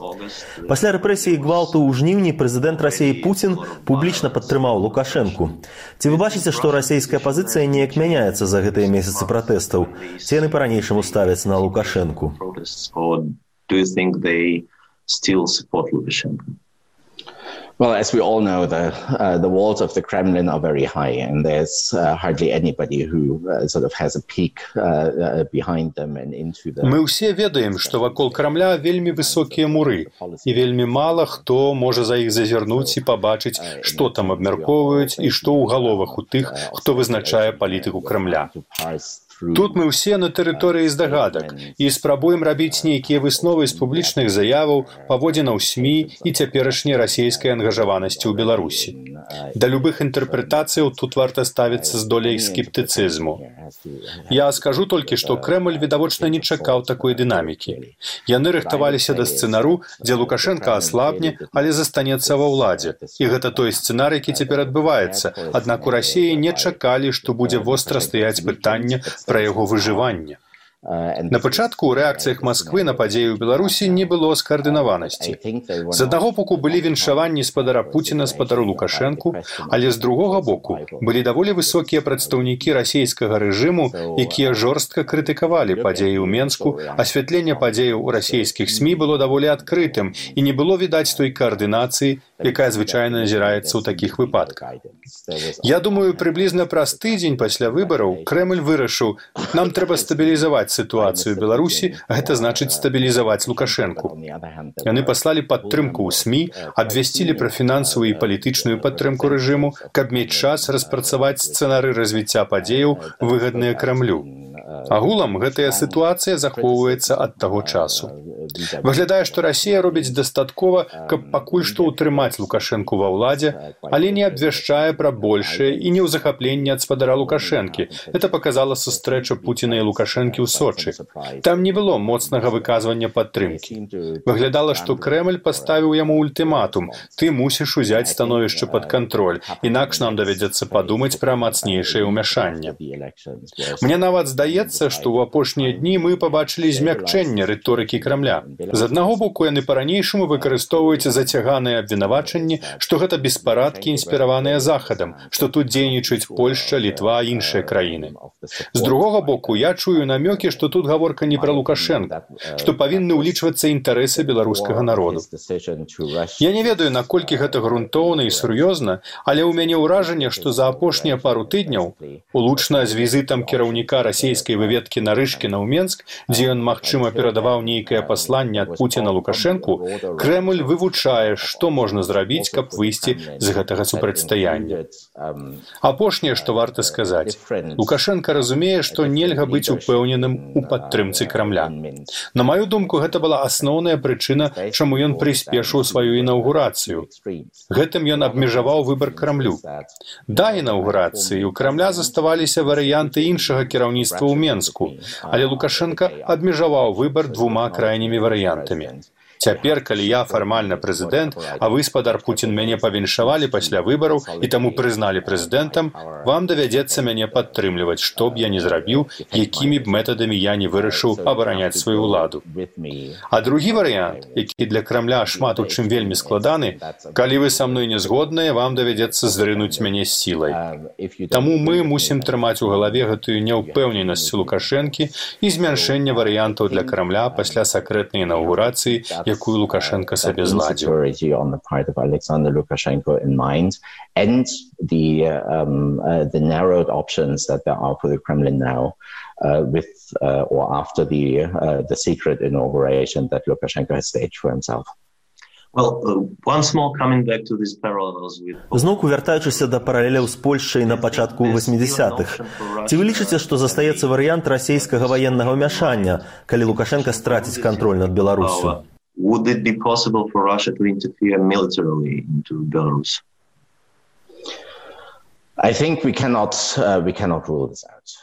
Пасля рэпрэсій і гвалту ў жніўні прэзідэнт Расіі Пуцін публічна падтрымаў Лукашэнку. Ці вы бачыце, што расійская пазіцыя неяк мяняецца за гэтыя месяцы пратэстаў? Ці яны па-ранейшаму ставяцца на Лукашэнку?
Do you think they still support Lukashenko?
Well, as we all know, the uh, the walls of the Kremlin are very high, and there's uh, hardly anybody who uh, sort of has a peek uh, uh, behind them and into the...
Мы ўсе ведаем, што вакол Крамля вельмі высокія муры, і вельмі мала хто можа за іх зазірнуць і пабачыць, што там абмяркоўваюць і што ў галовах у тых, хто вызначае палітыку Крамля. Тут мы ўсе на тэрыторыі здагадак і спрабуем рабіць нейкія высновы з публічных заяваў, паводзінаў СМІ і цяперашняй расійскай ангажаванасці ў Беларусі. Да любых інтэрпрэтацыяў тут варта ставіцца з доляй скептыцызму. Я скажу толькі, што Крэмль відавочна не чакаў такой дынамікі. Яны рыхтаваліся да сцэнару, дзе Лукашенка аслабне, але застанецца ва ўладзе. І гэта той сцэнар, які цяпер адбываецца. Аднак у Расіі не чакалі, што будзе востра стаяць пытанне пра яго выжыванне. На пачатку ў рэакцыях Масквы на падзеі ў Беларусі не было скаардынаванасці. З аднаго боку былі віншаванні спадара Пуціна спадару Лукашэнку, але з другога боку былі даволі высокія прадстаўнікі расійскага рэжыму, якія жорстка крытыкавалі падзеі ў Менску, асвятленне падзеяў у расійскіх СМІ было даволі адкрытым і не было відаць той каардынацыі, якая звычайна назіраецца ў такіх выпадках. Я думаю, прыблізна праз тыдзень пасля выбараў Крэмль вырашыў, нам трэба стабілізаваць ситуацию в Беларуси, это значит стабилизовать Лукашенку. Яны паслали падтрымку ў СМІ, абвясцілі пра фінансавую і палітычную падтрымку рэжыму, каб мець час распрацаваць сцэнары развіцця падзеяў, выгадныя Крамлю. Агулам гэтая сітуацыя захоўваецца ад таго часу. Выглядае, што Расія робіць дастаткова, каб пакуль што ўтрымаць Лукашэнку ва ўладзе, але не абвяшчае пра большае і не ў захапленне ад спадара Лукашэнкі. Это паказала сустрэча Пуціна і Лукашэнкі ў Сочы. Там не было моцнага выказвання падтрымкі. Выглядала, што Крэмль паставіў яму ультыматум: ты мусіш узяць становішча пад кантроль, інакш нам давядзецца падумаць пра мацнейшае ўмяшанне. Мне нават здаецца, што ў апошнія дні мы пабачылі змякчэнне рыторыкі Крамля. З аднаго боку, яны па-ранейшаму выкарыстоўваюць зацяганыя абвінавачанні, што гэта беспарадкі, інспіраваныя Захадам, што тут дзейнічаюць Польшча, Літва і іншыя краіны. З другога боку, я чую намёкі, што тут гаворка не пра Лукашэнка, што павінны ўлічвацца інтарэсы беларускага народу. Я не ведаю, наколькі гэта грунтоўна і сур'ёзна, але ў мяне ўражанне, што за апошнія пару тыдняў, улучна з візітам кіраўніка расійскай выведкі Нарышкіна ў Менск, дзе ён, магчыма, перадаваў нейкае пасланне пасланне ад Пуціна Лукашэнку, Крэмль вывучае, што можна зрабіць, каб выйсці з гэтага супрацьстаяння. Апошняе, што варта сказаць. Лукашенко разумее, што нельга быць упэўненым у падтрымцы Крамля. На маю думку, гэта была асноўная прычына, чаму ён прыспешыў сваю інаўгурацыю. Гэтым ён абмежаваў выбар Крамлю. Да інаўгурацыі у Крамля заставаліся варыянты іншага кіраўніцтва ў Менску, але Лукашенко абмежаваў выбар двума крайнімі варыянтамі. Цяпер, калі я фармальна прэзідэнт, а вы, спадар Пуцін, мяне павіншавалі пасля выбараў і таму прызналі прэзідэнтам, вам давядзецца мяне падтрымліваць, што б я не зрабіў, якімі б метадамі я не вырашыў абараняць сваю ўладу. А другі варыянт, які для Крамля шмат у чым вельмі складаны, калі вы са мной не згодныя, вам давядзецца зрынуць мяне з сілай. Таму мы мусім трымаць у галаве гэтую няўпэўненасць Лукашэнкі і змяншэнне варыянтаў для Крамля пасля сакрэтнай інаўгурацыі, якую Лукашенко сабе зладзіў.
And the, um, uh, the narrowed options that there are for the Kremlin now uh, with uh, or after the, uh, the secret inauguration that Lukashenko has staged for himself.
Well, uh, once more coming back to these parallels with...
Зноўку вяртаючыся да паралеляў з Польшчай на пачатку восьмідзесятых. Ці вы лічыце, што застаецца варыянт расійскага ваеннага ўмяшання, калі Лукашенко страціць кантроль над Беларусю?
Would it be possible for Russia to interfere militarily into Belarus?
I think we cannot, uh, we cannot rule this out.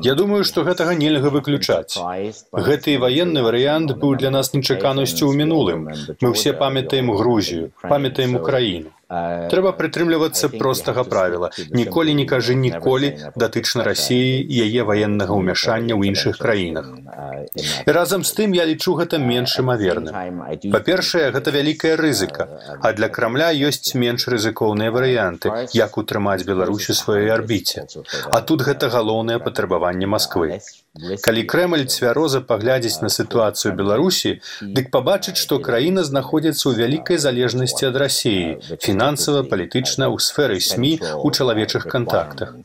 Я думаю, што гэтага нельга выключаць. Гэты ваенны варыянт быў для нас нечаканасцю ў мінулым. Мы ўсе памятаем Грузію, памятаем Украіну. Трэба прытрымлівацца простага правіла. Ніколі не кажы ніколі датычна Расіі і яе ваеннага ўмяшання ў іншых краінах. І разам з тым я лічу гэта менш імаверным. Па-першае, гэта вялікая рызыка, а для Крамля ёсць менш рызыкоўныя варыянты, як утрымаць Беларусь у сваёй арбіце. А тут гэта галоўнае патрабаванне Масквы. Калі Крэмль цвяроза паглядзіць на сітуацыю Беларусі, дык пабачыць, што краіна знаходзіцца ў вялікай залежнасці ад Расіі, фінансава, палітычна, у сферы СМІ, у чалавечых кантактах.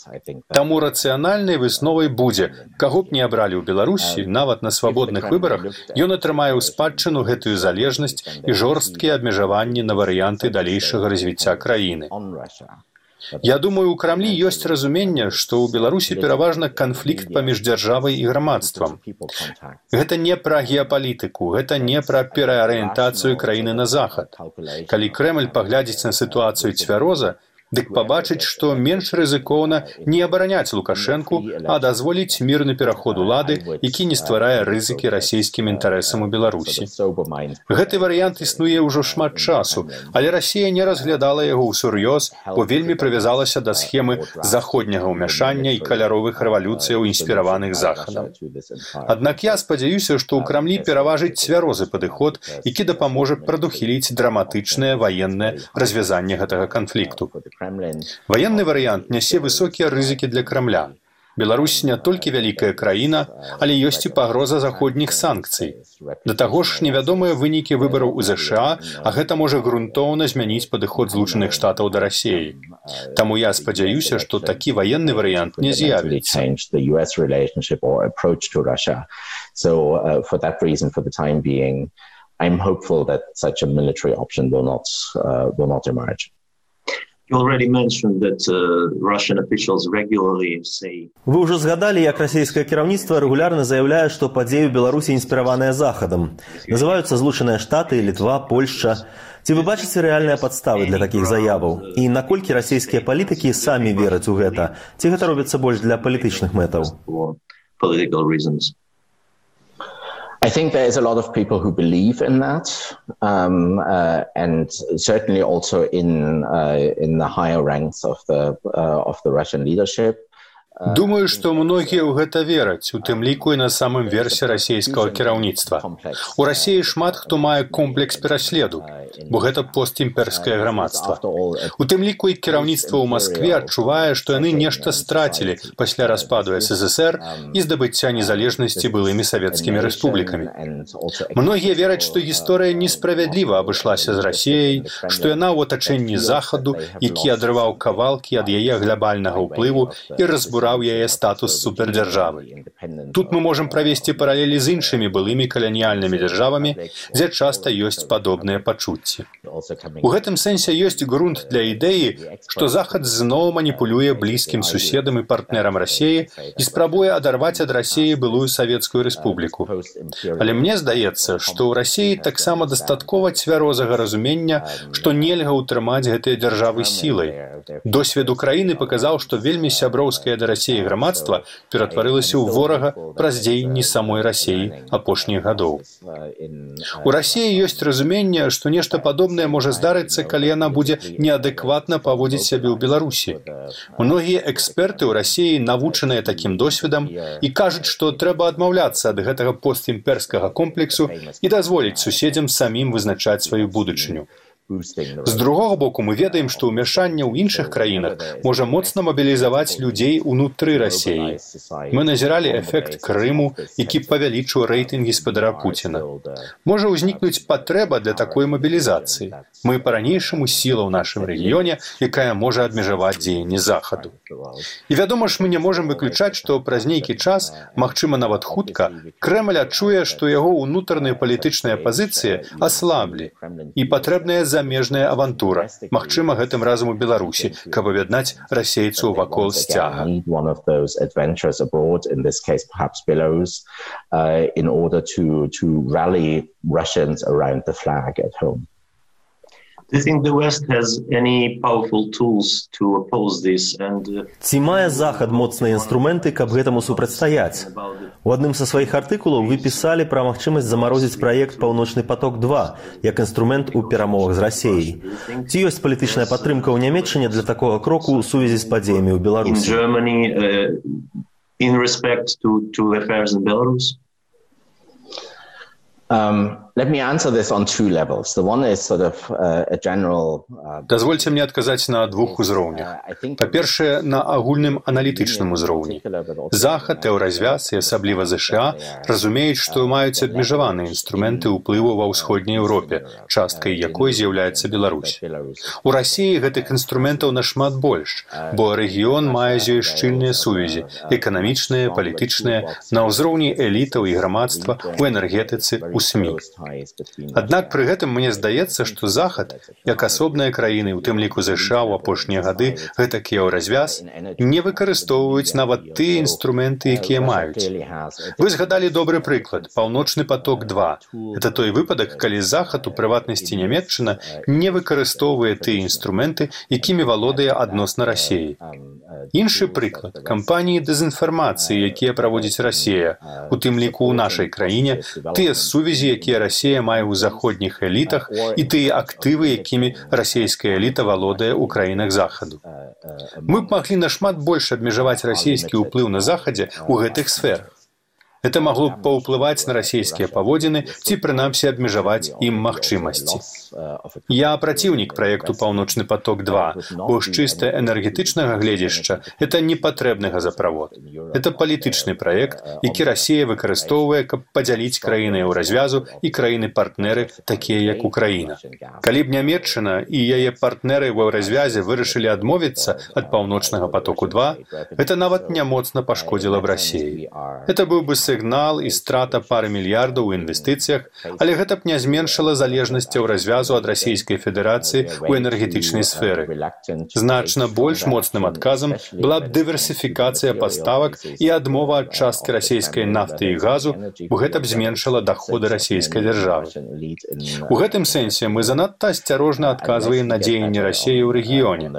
Таму рацыянальнай высновай будзе, каго б не абралі ў Беларусі, нават на свабодных выбарах, ён атрымае ў спадчыну гэтую залежнасць і жорсткія абмежаванні на варыянты далейшага развіцця краіны. Я думаю, у Крамлі ёсць разуменне, што ў Беларусі пераважна канфлікт паміж дзяржавай і грамадствам. Гэта не пра геапалітыку, гэта не пра пераарыентацыю краіны на захад. Калі Крэмль паглядзіць на сітуацыю цвяроза, дык пабачыць, што менш рызыкоўна не абараняць Лукашэнку, а дазволіць мірны пераход улады, які не стварае рызыкі расійскім інтарэсам у Беларусі. Гэты варыянт існуе ўжо шмат часу, але Расія не разглядала яго ўсур'ёз, бо вельмі прывязалася да схемы заходняга ўмяшання і каляровых рэвалюцыяў, інспіраваных захадам. Аднак я спадзяюся, што ў Крамлі пераважыць цвярозы падыход, які дапаможа прадухіліць драматычнае ваеннае развязанне гэтага канфлікту. Ваенны варыянт нясе высокія рызыкі для Крамля. Беларусь не толькі вялікая краіна, але ёсць і пагроза заходніх санкцый. Да таго ж невядомыя вынікі выбараў у ЗША, а гэта можа грунтоўна змяніць падыход Злучаных Штатаў да Расіі. Таму я спадзяюся, што такі ваенны варыянт не з'явіцца.
I'm hopeful that such a military option will not, uh, will not emerge.
You already mentioned that uh, Russian officials regularly say...
Вы ўжо згадалі, як расійскае кіраўніцтва рэгулярна заяўляе, што падзеі ў Беларусі інспіраваныя захадам. Называюцца Злучаныя Штаты, Літва, Польшча. Ці вы бачыце рэальныя падставы для такіх заяваў? І наколькі расійскія палітыкі самі вераць у гэта? Ці гэта робіцца больш для палітычных мэтаў?
I think there is a lot of people who believe in that, um, uh, and certainly also in uh, in the higher ranks of the uh, of the Russian leadership.
Думаю, што многія ў гэта вераць, у тым ліку і на самым версе расійскага кіраўніцтва. У Расіі шмат хто мае комплекс пераследу, бо гэта постімперскае грамадства. У тым ліку і кіраўніцтва ў Маскве адчувае, што яны нешта страцілі пасля распаду СССР і здабыцця незалежнасці былымі савецкімі рэспублікамі. Многія вераць, што гісторыя несправядліва абышлася з Расіяй, што яна ў атачэнні Захаду, які адрываў кавалкі ад яе глябальнага ўплыву і разбураў разбураў яе статус супердзяржавы. Тут мы можам правесці паралелі з іншымі былымі каланіяльнымі дзяржавамі, дзе часта ёсць падобныя пачуцці. У гэтым сэнсе ёсць грунт для ідэі, што Захад зноў маніпулюе блізкім суседам і партнерам Расіі і спрабуе адарваць ад Расіі былую Савецкую Рэспубліку. Але мне здаецца, што ў Расіі таксама дастаткова цвярозага разумення, што нельга ўтрымаць гэтыя дзяржавы сілай. Досвед Украіны паказаў, што вельмі сяброўскае да Расіі грамадства ператварылася ў ворага праз дзеянні самой Расіі апошніх гадоў. У Расіі ёсць разуменне, што нешта падобнае можа здарыцца, калі яна будзе неадэкватна паводзіць сябе ў Беларусі. Многія эксперты ў Расіі навучаныя такім досведам і кажуць, што трэба адмаўляцца ад гэтага постімперскага комплексу і дазволіць суседзям самім вызначаць сваю будучыню. З другога боку, мы ведаем, што ўмяшанне ў іншых краінах можа моцна мабілізаваць людзей унутры Расіі. Мы назіралі эфект Крыму, які павялічыў рэйтынгі спадара Пуціна. Можа ўзнікнуць патрэба для такой мабілізацыі. Мы па-ранейшаму сіла ў нашым рэгіёне, якая можа абмежаваць дзеянні Захаду. І вядома ж, мы не можам выключаць, што праз нейкі час, магчыма нават хутка, Крэмль адчуе, што яго ўнутраныя палітычныя пазіцыі аслаблі і патрэбная замежная авантура, магчыма, гэтым разам у Беларусі, каб аб'яднаць расейцаў вакол сцяга.
Ці мае Захад моцныя інструменты, каб гэтаму супрацьстаяць? У адным са сваіх артыкулаў вы пісалі пра магчымасць замарозіць праект «Паўночны поток-два» як інструмент у перамовах з Расіяй. Ці ёсць палітычная падтрымка ў Нямецчыне для такога кроку ў сувязі з падзеямі ў Беларусі?
Дазвольце мне адказаць на двух узроўнях. Па-першае, на агульным аналітычным узроўні. Захад, еўразвяз і асабліва ЗША разумеюць, што маюць абмежаваныя інструменты ўплыву ва ўсходняй Еўропе, часткай якой з'яўляецца Беларусь. У Расіі гэтых інструментаў нашмат больш, бо рэгіён мае з ёй шчыльныя сувязі, эканамічныя, палітычныя, на ўзроўні элітаў і грамадства, у энергетыцы, у СМІ. Аднак пры гэтым мне здаецца, што Захад, як асобныя краіны, у тым ліку ЗША ў апошнія гады, гэтак еўразвяз, не выкарыстоўваюць нават тыя інструменты, якія маюць. Вы згадалі добры прыклад – «Паўночны поток-два». Это той выпадак, калі Захад, у прыватнасці Нямецчына, не выкарыстоўвае тыя інструменты, якімі валодае адносна Расіі. Іншы прыклад – кампаніі дэзінфармацыі, якія праводзіць Расія, у тым ліку ў нашай краіне, тыя сувязі, якія Расія мае ў заходніх элітах і тыя актывы, якімі расійская эліта валодае ў краінах Захаду. Мы б маглі нашмат больш абмежаваць расійскі ўплыў на Захадзе ў гэтых сферах. Это магло б паўплываць на расійскія паводзіны ці, прынамсі, абмежаваць ім магчымасці. Я праціўнік праекту «Паўночны поток-два», бо з чыста энергетычнага гледзяшча это не патрэбны газаправод. Это палітычны праект, які Расія выкарыстоўвае, каб падзяліць краіны еўразвязу і краіны-партнеры, такія як Украіна. Калі б Нямецчына і яе партнеры ў еўразвязе вырашылі адмовіцца ад «Паўночнага потоку-два», это нават не моцна пашкодзіла б Расіі. Это быў бы сігнал і страта пары мільярдаў у інвестыцыях, але гэта б не зменшыла залежнасць еўразвязу ад Расійскай Федэрацыі ў энергетычнай сферы. Значна больш моцным адказам была б дыверсіфікацыя паставак і адмова ад часткі расійскай нафты і газу, бо гэта б зменшыла даходы расійскай дзяржавы. У гэтым сэнсе мы занадта асцярожна адказваем на дзеянні Расіі ў рэгіёне.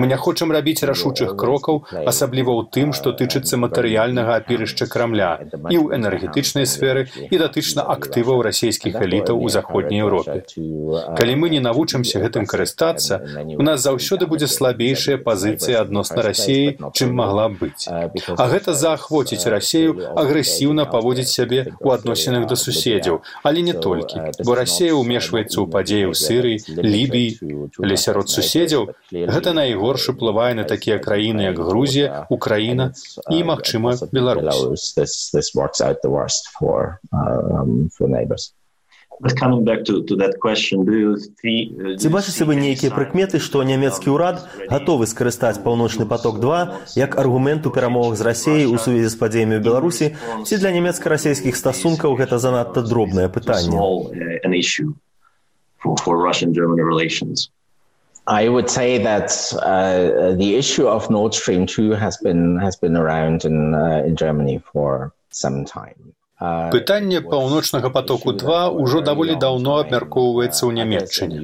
Мы не хочам рабіць рашучых крокаў, асабліва ў тым, што тычыцца матэрыяльнага апірышча Крамля, і ў энергетычнай сферы, і датычна актываў расійскіх элітаў у заходняй Еўропе. Калі мы не навучымся гэтым карыстацца, у нас заўсёды будзе слабейшая пазіцыя адносна Расіі, чым магла быць. А гэта заахвоціць Расію агрэсіўна паводзіць сябе ў адносінах да суседзяў, але не толькі, бо Расія ўмешваецца ў падзеі ў Сірыі, Лібіі, але сярод суседзяў гэта найгорш уплывае на такія краіны, як Грузія, Украіна і, магчыма, Беларусь.
This works out the worst for, um, for neighbors.
Ці бачыце вы нейкія прыкметы, што нямецкі ўрад гатовы скарыстаць паўночны поток-два як аргумент у перамовах з Расіяй у сувязі з падзеямі ў Беларусі, ці для нямецка-расійскіх стасункаў гэта занадта дробнае пытанне?
I would say that uh, the issue of Nord Stream two has been has been around in uh, in Germany for some time.
Пытанне паўночнага потоку-два ўжо даволі даўно абмяркоўваецца ў Нямецчыне.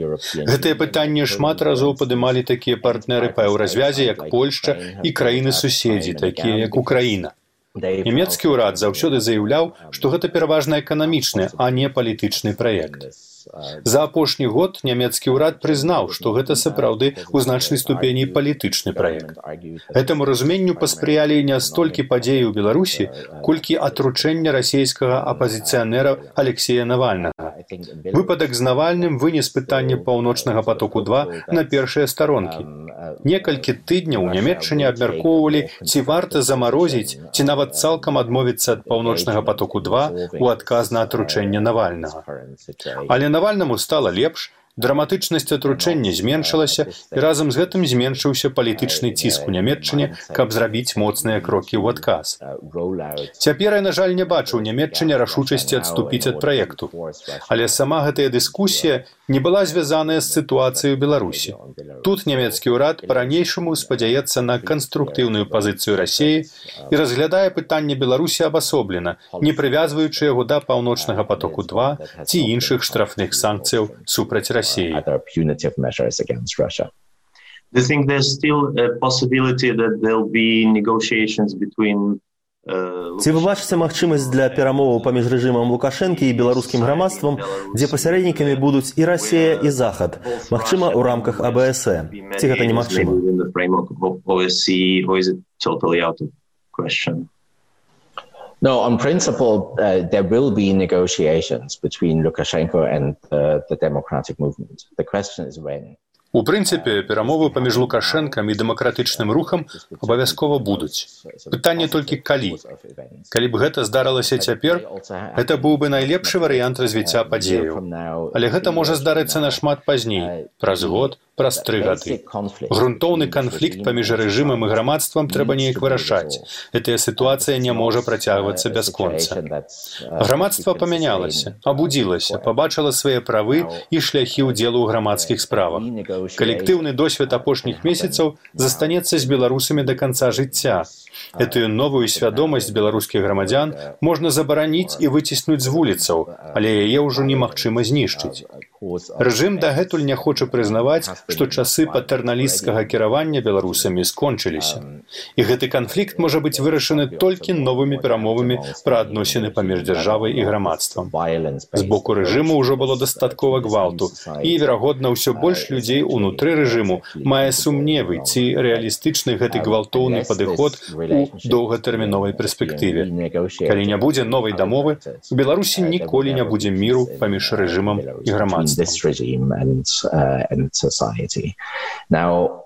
Гэтае пытанне шмат разоў падымалі такія партнеры па еўразвязе, як Польшча і краіны-суседзі, такія як Украіна. Нямецкі ўрад заўсёды заяўляў, што гэта пераважна эканамічны, а не палітычны праект. За апошні год нямецкі ўрад прызнаў, што гэта сапраўды ў значнай ступені палітычны праект. Гэтаму разуменню паспрыялі не столькі падзеі ў Беларусі, колькі атручэння расійскага апазіцыянера Алексея Навальнага. Выпадак з Навальным вынес пытанне паўночнага потоку-два на першыя старонкі. Некалькі тыдняў у Нямецчыне абмяркоўвалі, ці варта замарозіць, ці нават цалкам адмовіцца ад паўночнага потоку-два ў адказ на атручэнне Навальнага. Але Навальнаму стала лепш, драматычнасць атручэння зменшылася, і разам з гэтым зменшыўся палітычны ціск у Нямецчыне, каб зрабіць моцныя крокі ў адказ. Цяпер я, на жаль, не бачу ў Нямецчыне рашучасці адступіць ад праекту. Але сама гэтая дыскусія не была звязаная з сітуацыяй у Беларусі. Тут нямецкі ўрад па-ранейшаму спадзяецца на канструктыўную пазіцыю Расіі і разглядае пытанне Беларусі абасоблена, не прывязваючы яго да паўночнага потоку-два ці іншых штрафных санкцыяў супраць Расіі.
Other punitive measures against Russia.
Do you think there's still a possibility that there'll be negotiations between
Ці вы бачыце магчымасць для перамоваў паміж рэжымам Лукашэнкі і беларускім грамадствам, дзе пасярэднікамі будуць і Расія, і Захад, магчыма, у рамках А Б С Э? Ці гэта немагчыма?
No, on principle, uh, there will be negotiations between Lukashenko and uh, the democratic movement. The question is when.
У прынцыпе, перамовы паміж Лукашэнкам і дэмакратычным рухам абавязкова будуць. Пытанне толькі калі. Калі б гэта здарылася цяпер, гэта быў бы найлепшы варыянт развіцця падзеяў. Але гэта можа здарыцца нашмат пазней, праз год, праз тры гады. Грунтоўны канфлікт паміж рэжымам і грамадствам трэба неяк вырашаць. Гэтая сітуацыя не можа працягвацца бясконца. Грамадства памянялася, абудзілася, пабачыла свае правы і шляхі ўдзелу ў грамадскіх справах. Калектыўны досвед апошніх месяцаў застанецца з беларусамі да канца жыцця. Этую новую свядомасць беларускіх грамадзян можна забараніць і выціснуць з вуліцаў, але яе ўжо немагчыма знішчыць. Рэжым дагэтуль не хоча прызнаваць, што часы патэрналісцкага кіравання беларусамі скончыліся. І гэты канфлікт можа быць вырашаны толькі новымі перамовамі пра адносіны паміж дзяржавай і грамадствам. З боку рэжыму ўжо было дастаткова гвалту, і, верагодна, ўсё больш людзей унутры рэжыму мае сумневы, ці рэалістычны гэты гвалтоўны падыход у доўгатэрміновай перспектыве. Калі не будзе новай дамовы, у Беларусі ніколі не будзе міру паміж рэжымам і грамадствам.
This regime and uh, and society. Now,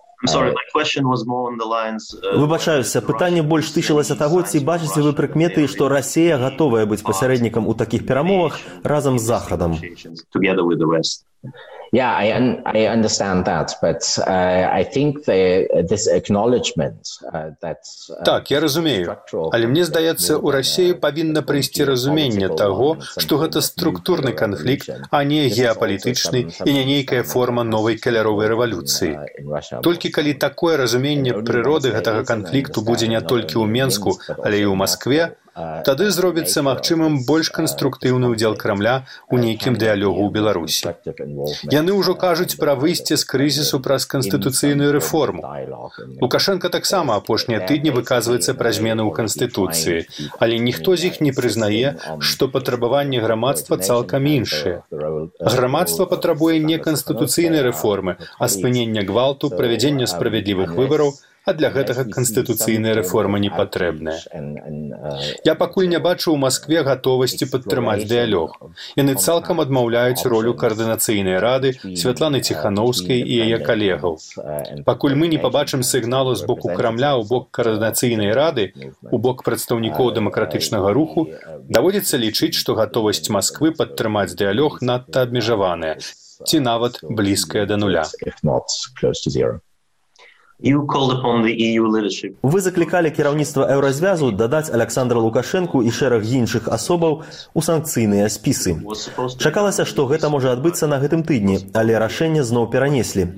Выбачаюся, пытанне больш тычылася таго, ці бачыце вы прыкметы, што Расія гатовая быць пасярэднікам у такіх перамовах разам з Захадам?
Yeah, I, un I understand that, but uh, I think the, this acknowledgement uh, that... Uh,
так, я разумею. Але мне здаецца, у Расіі павінна прыйсці разуменне таго, што гэта структурны канфлікт, а не геапалітычны і не нейкая форма новай каляровай рэвалюцыі. Толькі калі такое разуменне прыроды гэтага канфлікту будзе не толькі ў Менску, але і ў Маскве, тады зробіцца магчымым больш канструктыўны ўдзел Крамля ў нейкім дыялогу ў Беларусі. Яны ўжо кажуць пра выйсце з крызісу праз канстытуцыйную рэформу. Лукашенко таксама апошнія тыдні выказваецца пра змены ў канстытуцыі, але ніхто з іх не прызнае, што патрабаванні грамадства цалкам іншыя. Грамадства патрабуе не канстытуцыйнай рэформы, а спынення гвалту, правядзення справядлівых выбараў, а для гэтага канстытуцыйная рэформа не патрэбная. Я пакуль не бачу ў Маскве гатовасці падтрымаць дыялог. Яны цалкам адмаўляюць ролю каардынацыйнай рады Святланы Ціханаўскай і яе калегаў. Пакуль мы не пабачым сігналу з боку Крамля ў бок каардынацыйнай рады, у бок прадстаўнікоў дэмакратычнага руху, даводзіцца лічыць, што гатовасць Масквы падтрымаць дыялог надта абмежаваная, ці нават блізкая да нуля.
Вы заклікалі кіраўніцтва еўразвязу дадаць Аляксандра Лукашэнку і шэраг іншых асобаў у санкцыйныя спісы. Чакалася, што гэта можа адбыцца на гэтым тыдні, але рашэнне зноў перанеслі.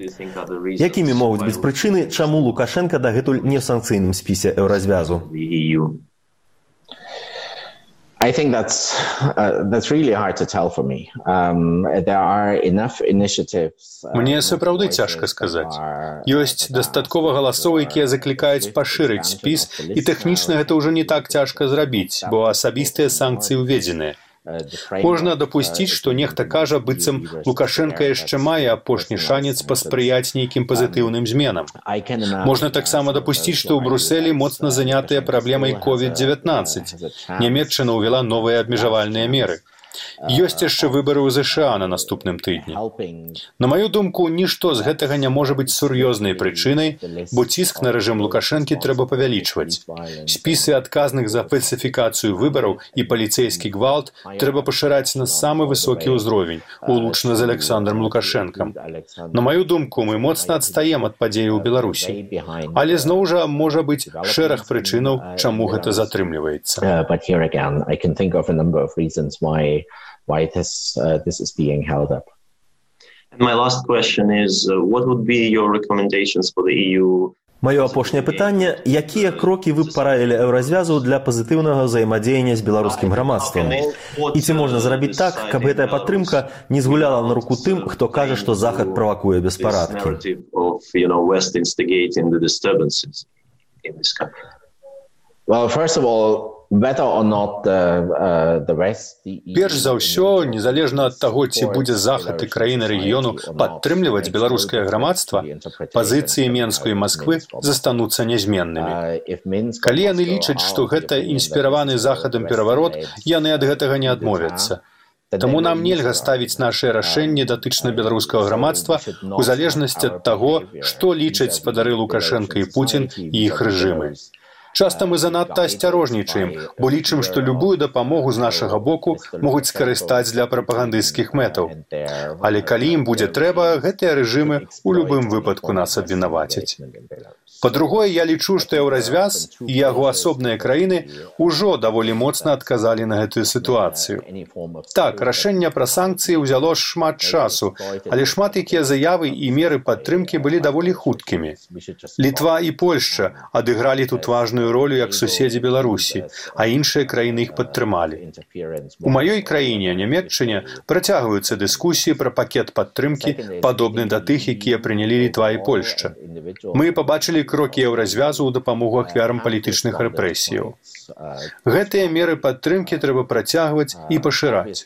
Якімі могуць быць прычыны, чаму Лукашенка дагэтуль не ў санкцыйным спісе еўразвязу?
I think that's uh, that's really hard to tell for me. Um, there are enough initiatives.
Мне сапраўды цяжка сказаць. Ёсць дастаткова галасоў, якія заклікаюць пашырыць спіс, і тэхнічна гэта ўжо не так цяжка зрабіць, бо асабістыя санкцыі ўведзеныя. Можна дапусціць, што нехта кажа, быццам Лукашенка яшчэ мае апошні шанец паспрыяць нейкім пазітыўным зменам. Можна таксама дапусціць, што ў Брусэлі моцна занятыя праблемай ковід дзевятнаццаць. Нямецчына ўвяла новыя абмежавальныя меры. Ёсць яшчэ выбары ў ЗША на наступным тыдні. На маю думку, нішто з гэтага не можа быць сур'ёзнай прычынай, бо ціск на рэжым Лукашэнкі трэба павялічваць. Спісы адказных за фальсіфікацыю выбараў і паліцэйскі гвалт трэба пашыраць на самы высокі ўзровень, улучна з Аляксандрам Лукашэнкам. На маю думку, мы моцна адстаем ад падзеяў у Беларусі. Але зноў жа можа быць шэраг прычынаў, чаму гэта затрымліваецца.
why this uh, this is being held up.
And my last question is, uh, what would be your recommendations for the E U?
Маё апошняе пытанне, якія крокі вы б параілі еўразвязу для пазітыўнага ўзаемадзеяння з беларускім грамадствам? І ці можна зрабіць так, каб гэтая падтрымка не згуляла на руку тым, хто кажа, што Захад правакуе беспарадкі?
Well, first of all, whether or not the, uh, the West, the E U...
Перш за ўсё, незалежна ад таго, ці будзе Захад і краіны рэгіёну падтрымліваць беларускае грамадства, пазіцыі Менску і Масквы застануцца нязменнымі. Калі яны лічаць, што гэта інспіраваны Захадам пераварот, яны ад гэтага не адмовяцца. Таму нам нельга ставіць нашыя рашэнні датычна беларускага грамадства у залежнасці ад таго, што лічаць спадары Лукашенка і Пуцін і іх рэжымы. Часта мы занадта асцярожнічаем, бо лічым, што любую дапамогу з нашага боку могуць скарыстаць для прапагандысцкіх мэтаў. Але калі ім будзе трэба, гэтыя рэжымы ў любым выпадку нас абвінавацяць. Па-другое, я лічу, што еўразвяз і яго асобныя краіны ўжо даволі моцна адказалі на гэтую сітуацыю. Так, рашэнне пра санкцыі ўзяло шмат часу, але шмат якія заявы і меры падтрымкі былі даволі хуткімі. Літва і Польшча адыгралі тут важную ролю як суседзі Беларусі, а іншыя краіны іх падтрымалі. У маёй краіне, Нямецчыне, працягваюцца дыскусіі пра пакет падтрымкі, падобны да тых, якія прынялі Літва і Польшча. Мы пабачылі крокі еўразвязу ў дапамогу ахвярам палітычных рэпрэсіяў. Гэтыя меры падтрымкі трэба працягваць і пашыраць.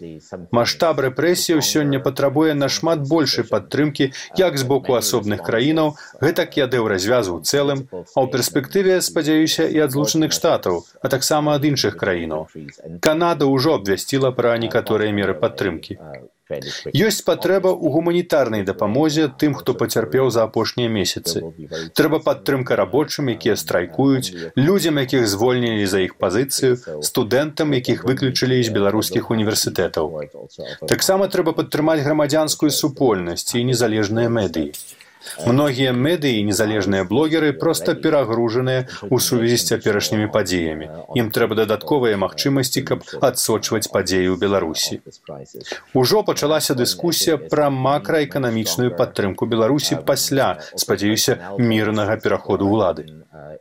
Маштаб рэпрэсіяў сёння патрабуе нашмат большай падтрымкі як з боку асобных краінаў, гэтак і ад еўразвязу ў цэлым, а ў перспектыве, спадзяюся, і ад Злучаных Штатаў, а таксама ад іншых краінаў. Канада ўжо абвясціла пра некаторыя меры падтрымкі. Ёсць патрэба ў гуманітарнай дапамозе тым, хто пацярпеў за апошнія месяцы. Трэба падтрымка рабочым, якія страйкуюць, людзям, якіх звольнілі за іх пазіцыю, студэнтам, якіх выключылі з беларускіх універсітэтаў. Таксама трэба падтрымаць грамадзянскую супольнасць і незалежныя медыі. Многія медыі і незалежныя блогеры проста перагружаныя ў сувязі з цяперашнімі падзеямі. Ім трэба дадатковыя магчымасці, каб адсочваць падзеі ў Беларусі. Ужо пачалася дыскусія пра макраэканамічную падтрымку Беларусі пасля, спадзяюся, мірнага пераходу ўлады.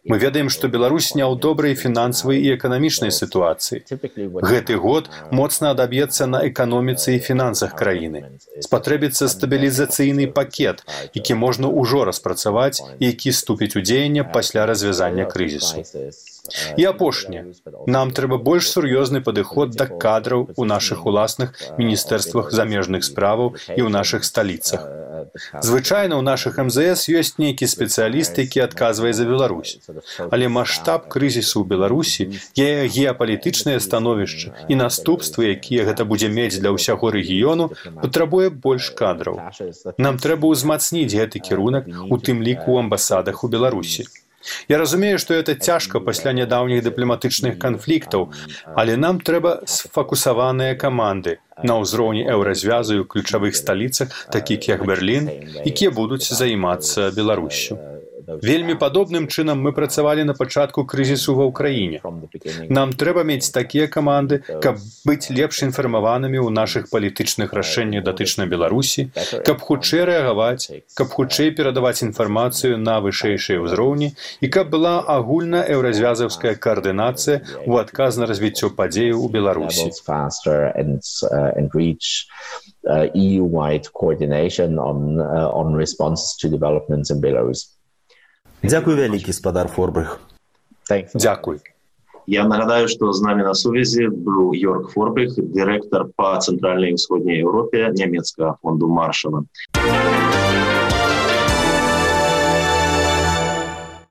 Мы ведаем, што Беларусь не ў добрай фінансавай і эканамічнай сітуацыі. Гэты год моцна адаб'ецца на эканоміцы і фінансах краіны. Спатрэбіцца стабілізацыйны пакет, які можна ўжо распрацаваць і які ступіць у дзеянне пасля развязання крызісу. І апошняе. Нам трэба больш сур'ёзны падыход да кадраў у нашых уласных міністэрствах замежных справаў і ў нашых сталіцах. Звычайна ў нашых эм зэ эс ёсць нейкі спецыяліст, які адказвае за Беларусь. Але маштаб крызісу ў Беларусі, яе геапалітычнае становішча і наступствы, якія гэта будзе мець для ўсяго рэгіёну, патрабуе больш кадраў. Нам трэба ўзмацніць гэты кірунак, у тым ліку ў амбасадах у Беларусі. Я разумею, што гэта цяжка пасля нядаўніх дыпламатычных канфліктаў, але нам трэба сфокусаваныя каманды на ўзроўні еўразвязу і ў ключавых сталіцах, такіх як Берлін, якія будуць займацца Беларуссю. Вельмі падобным чынам мы працавалі на пачатку крызісу ва ўкраіне. Нам трэба мець такія каманды, каб быць лепш інфармаванымі ў нашых палітычных рашэннях датычна Беларусі, каб хутчэй рэагаваць, каб хутчэй перадаваць інфармацыю на вышэйшыя ўзроўні і каб была агульна еўразвязаўская каардынацыя ў адказ на развіццё падзеяў у Беларусі.
E U-wide coordination on, uh, on responses to developments in Belarus.
Дзякуй вялікі, спадар Форбрых.
Дзякуй.
Я нагадаю, што з намі на сувязі быў Йорк Форбрых, дырэктар па цэнтральнай і ўсходняй Еўропе нямецкага фонду Маршала.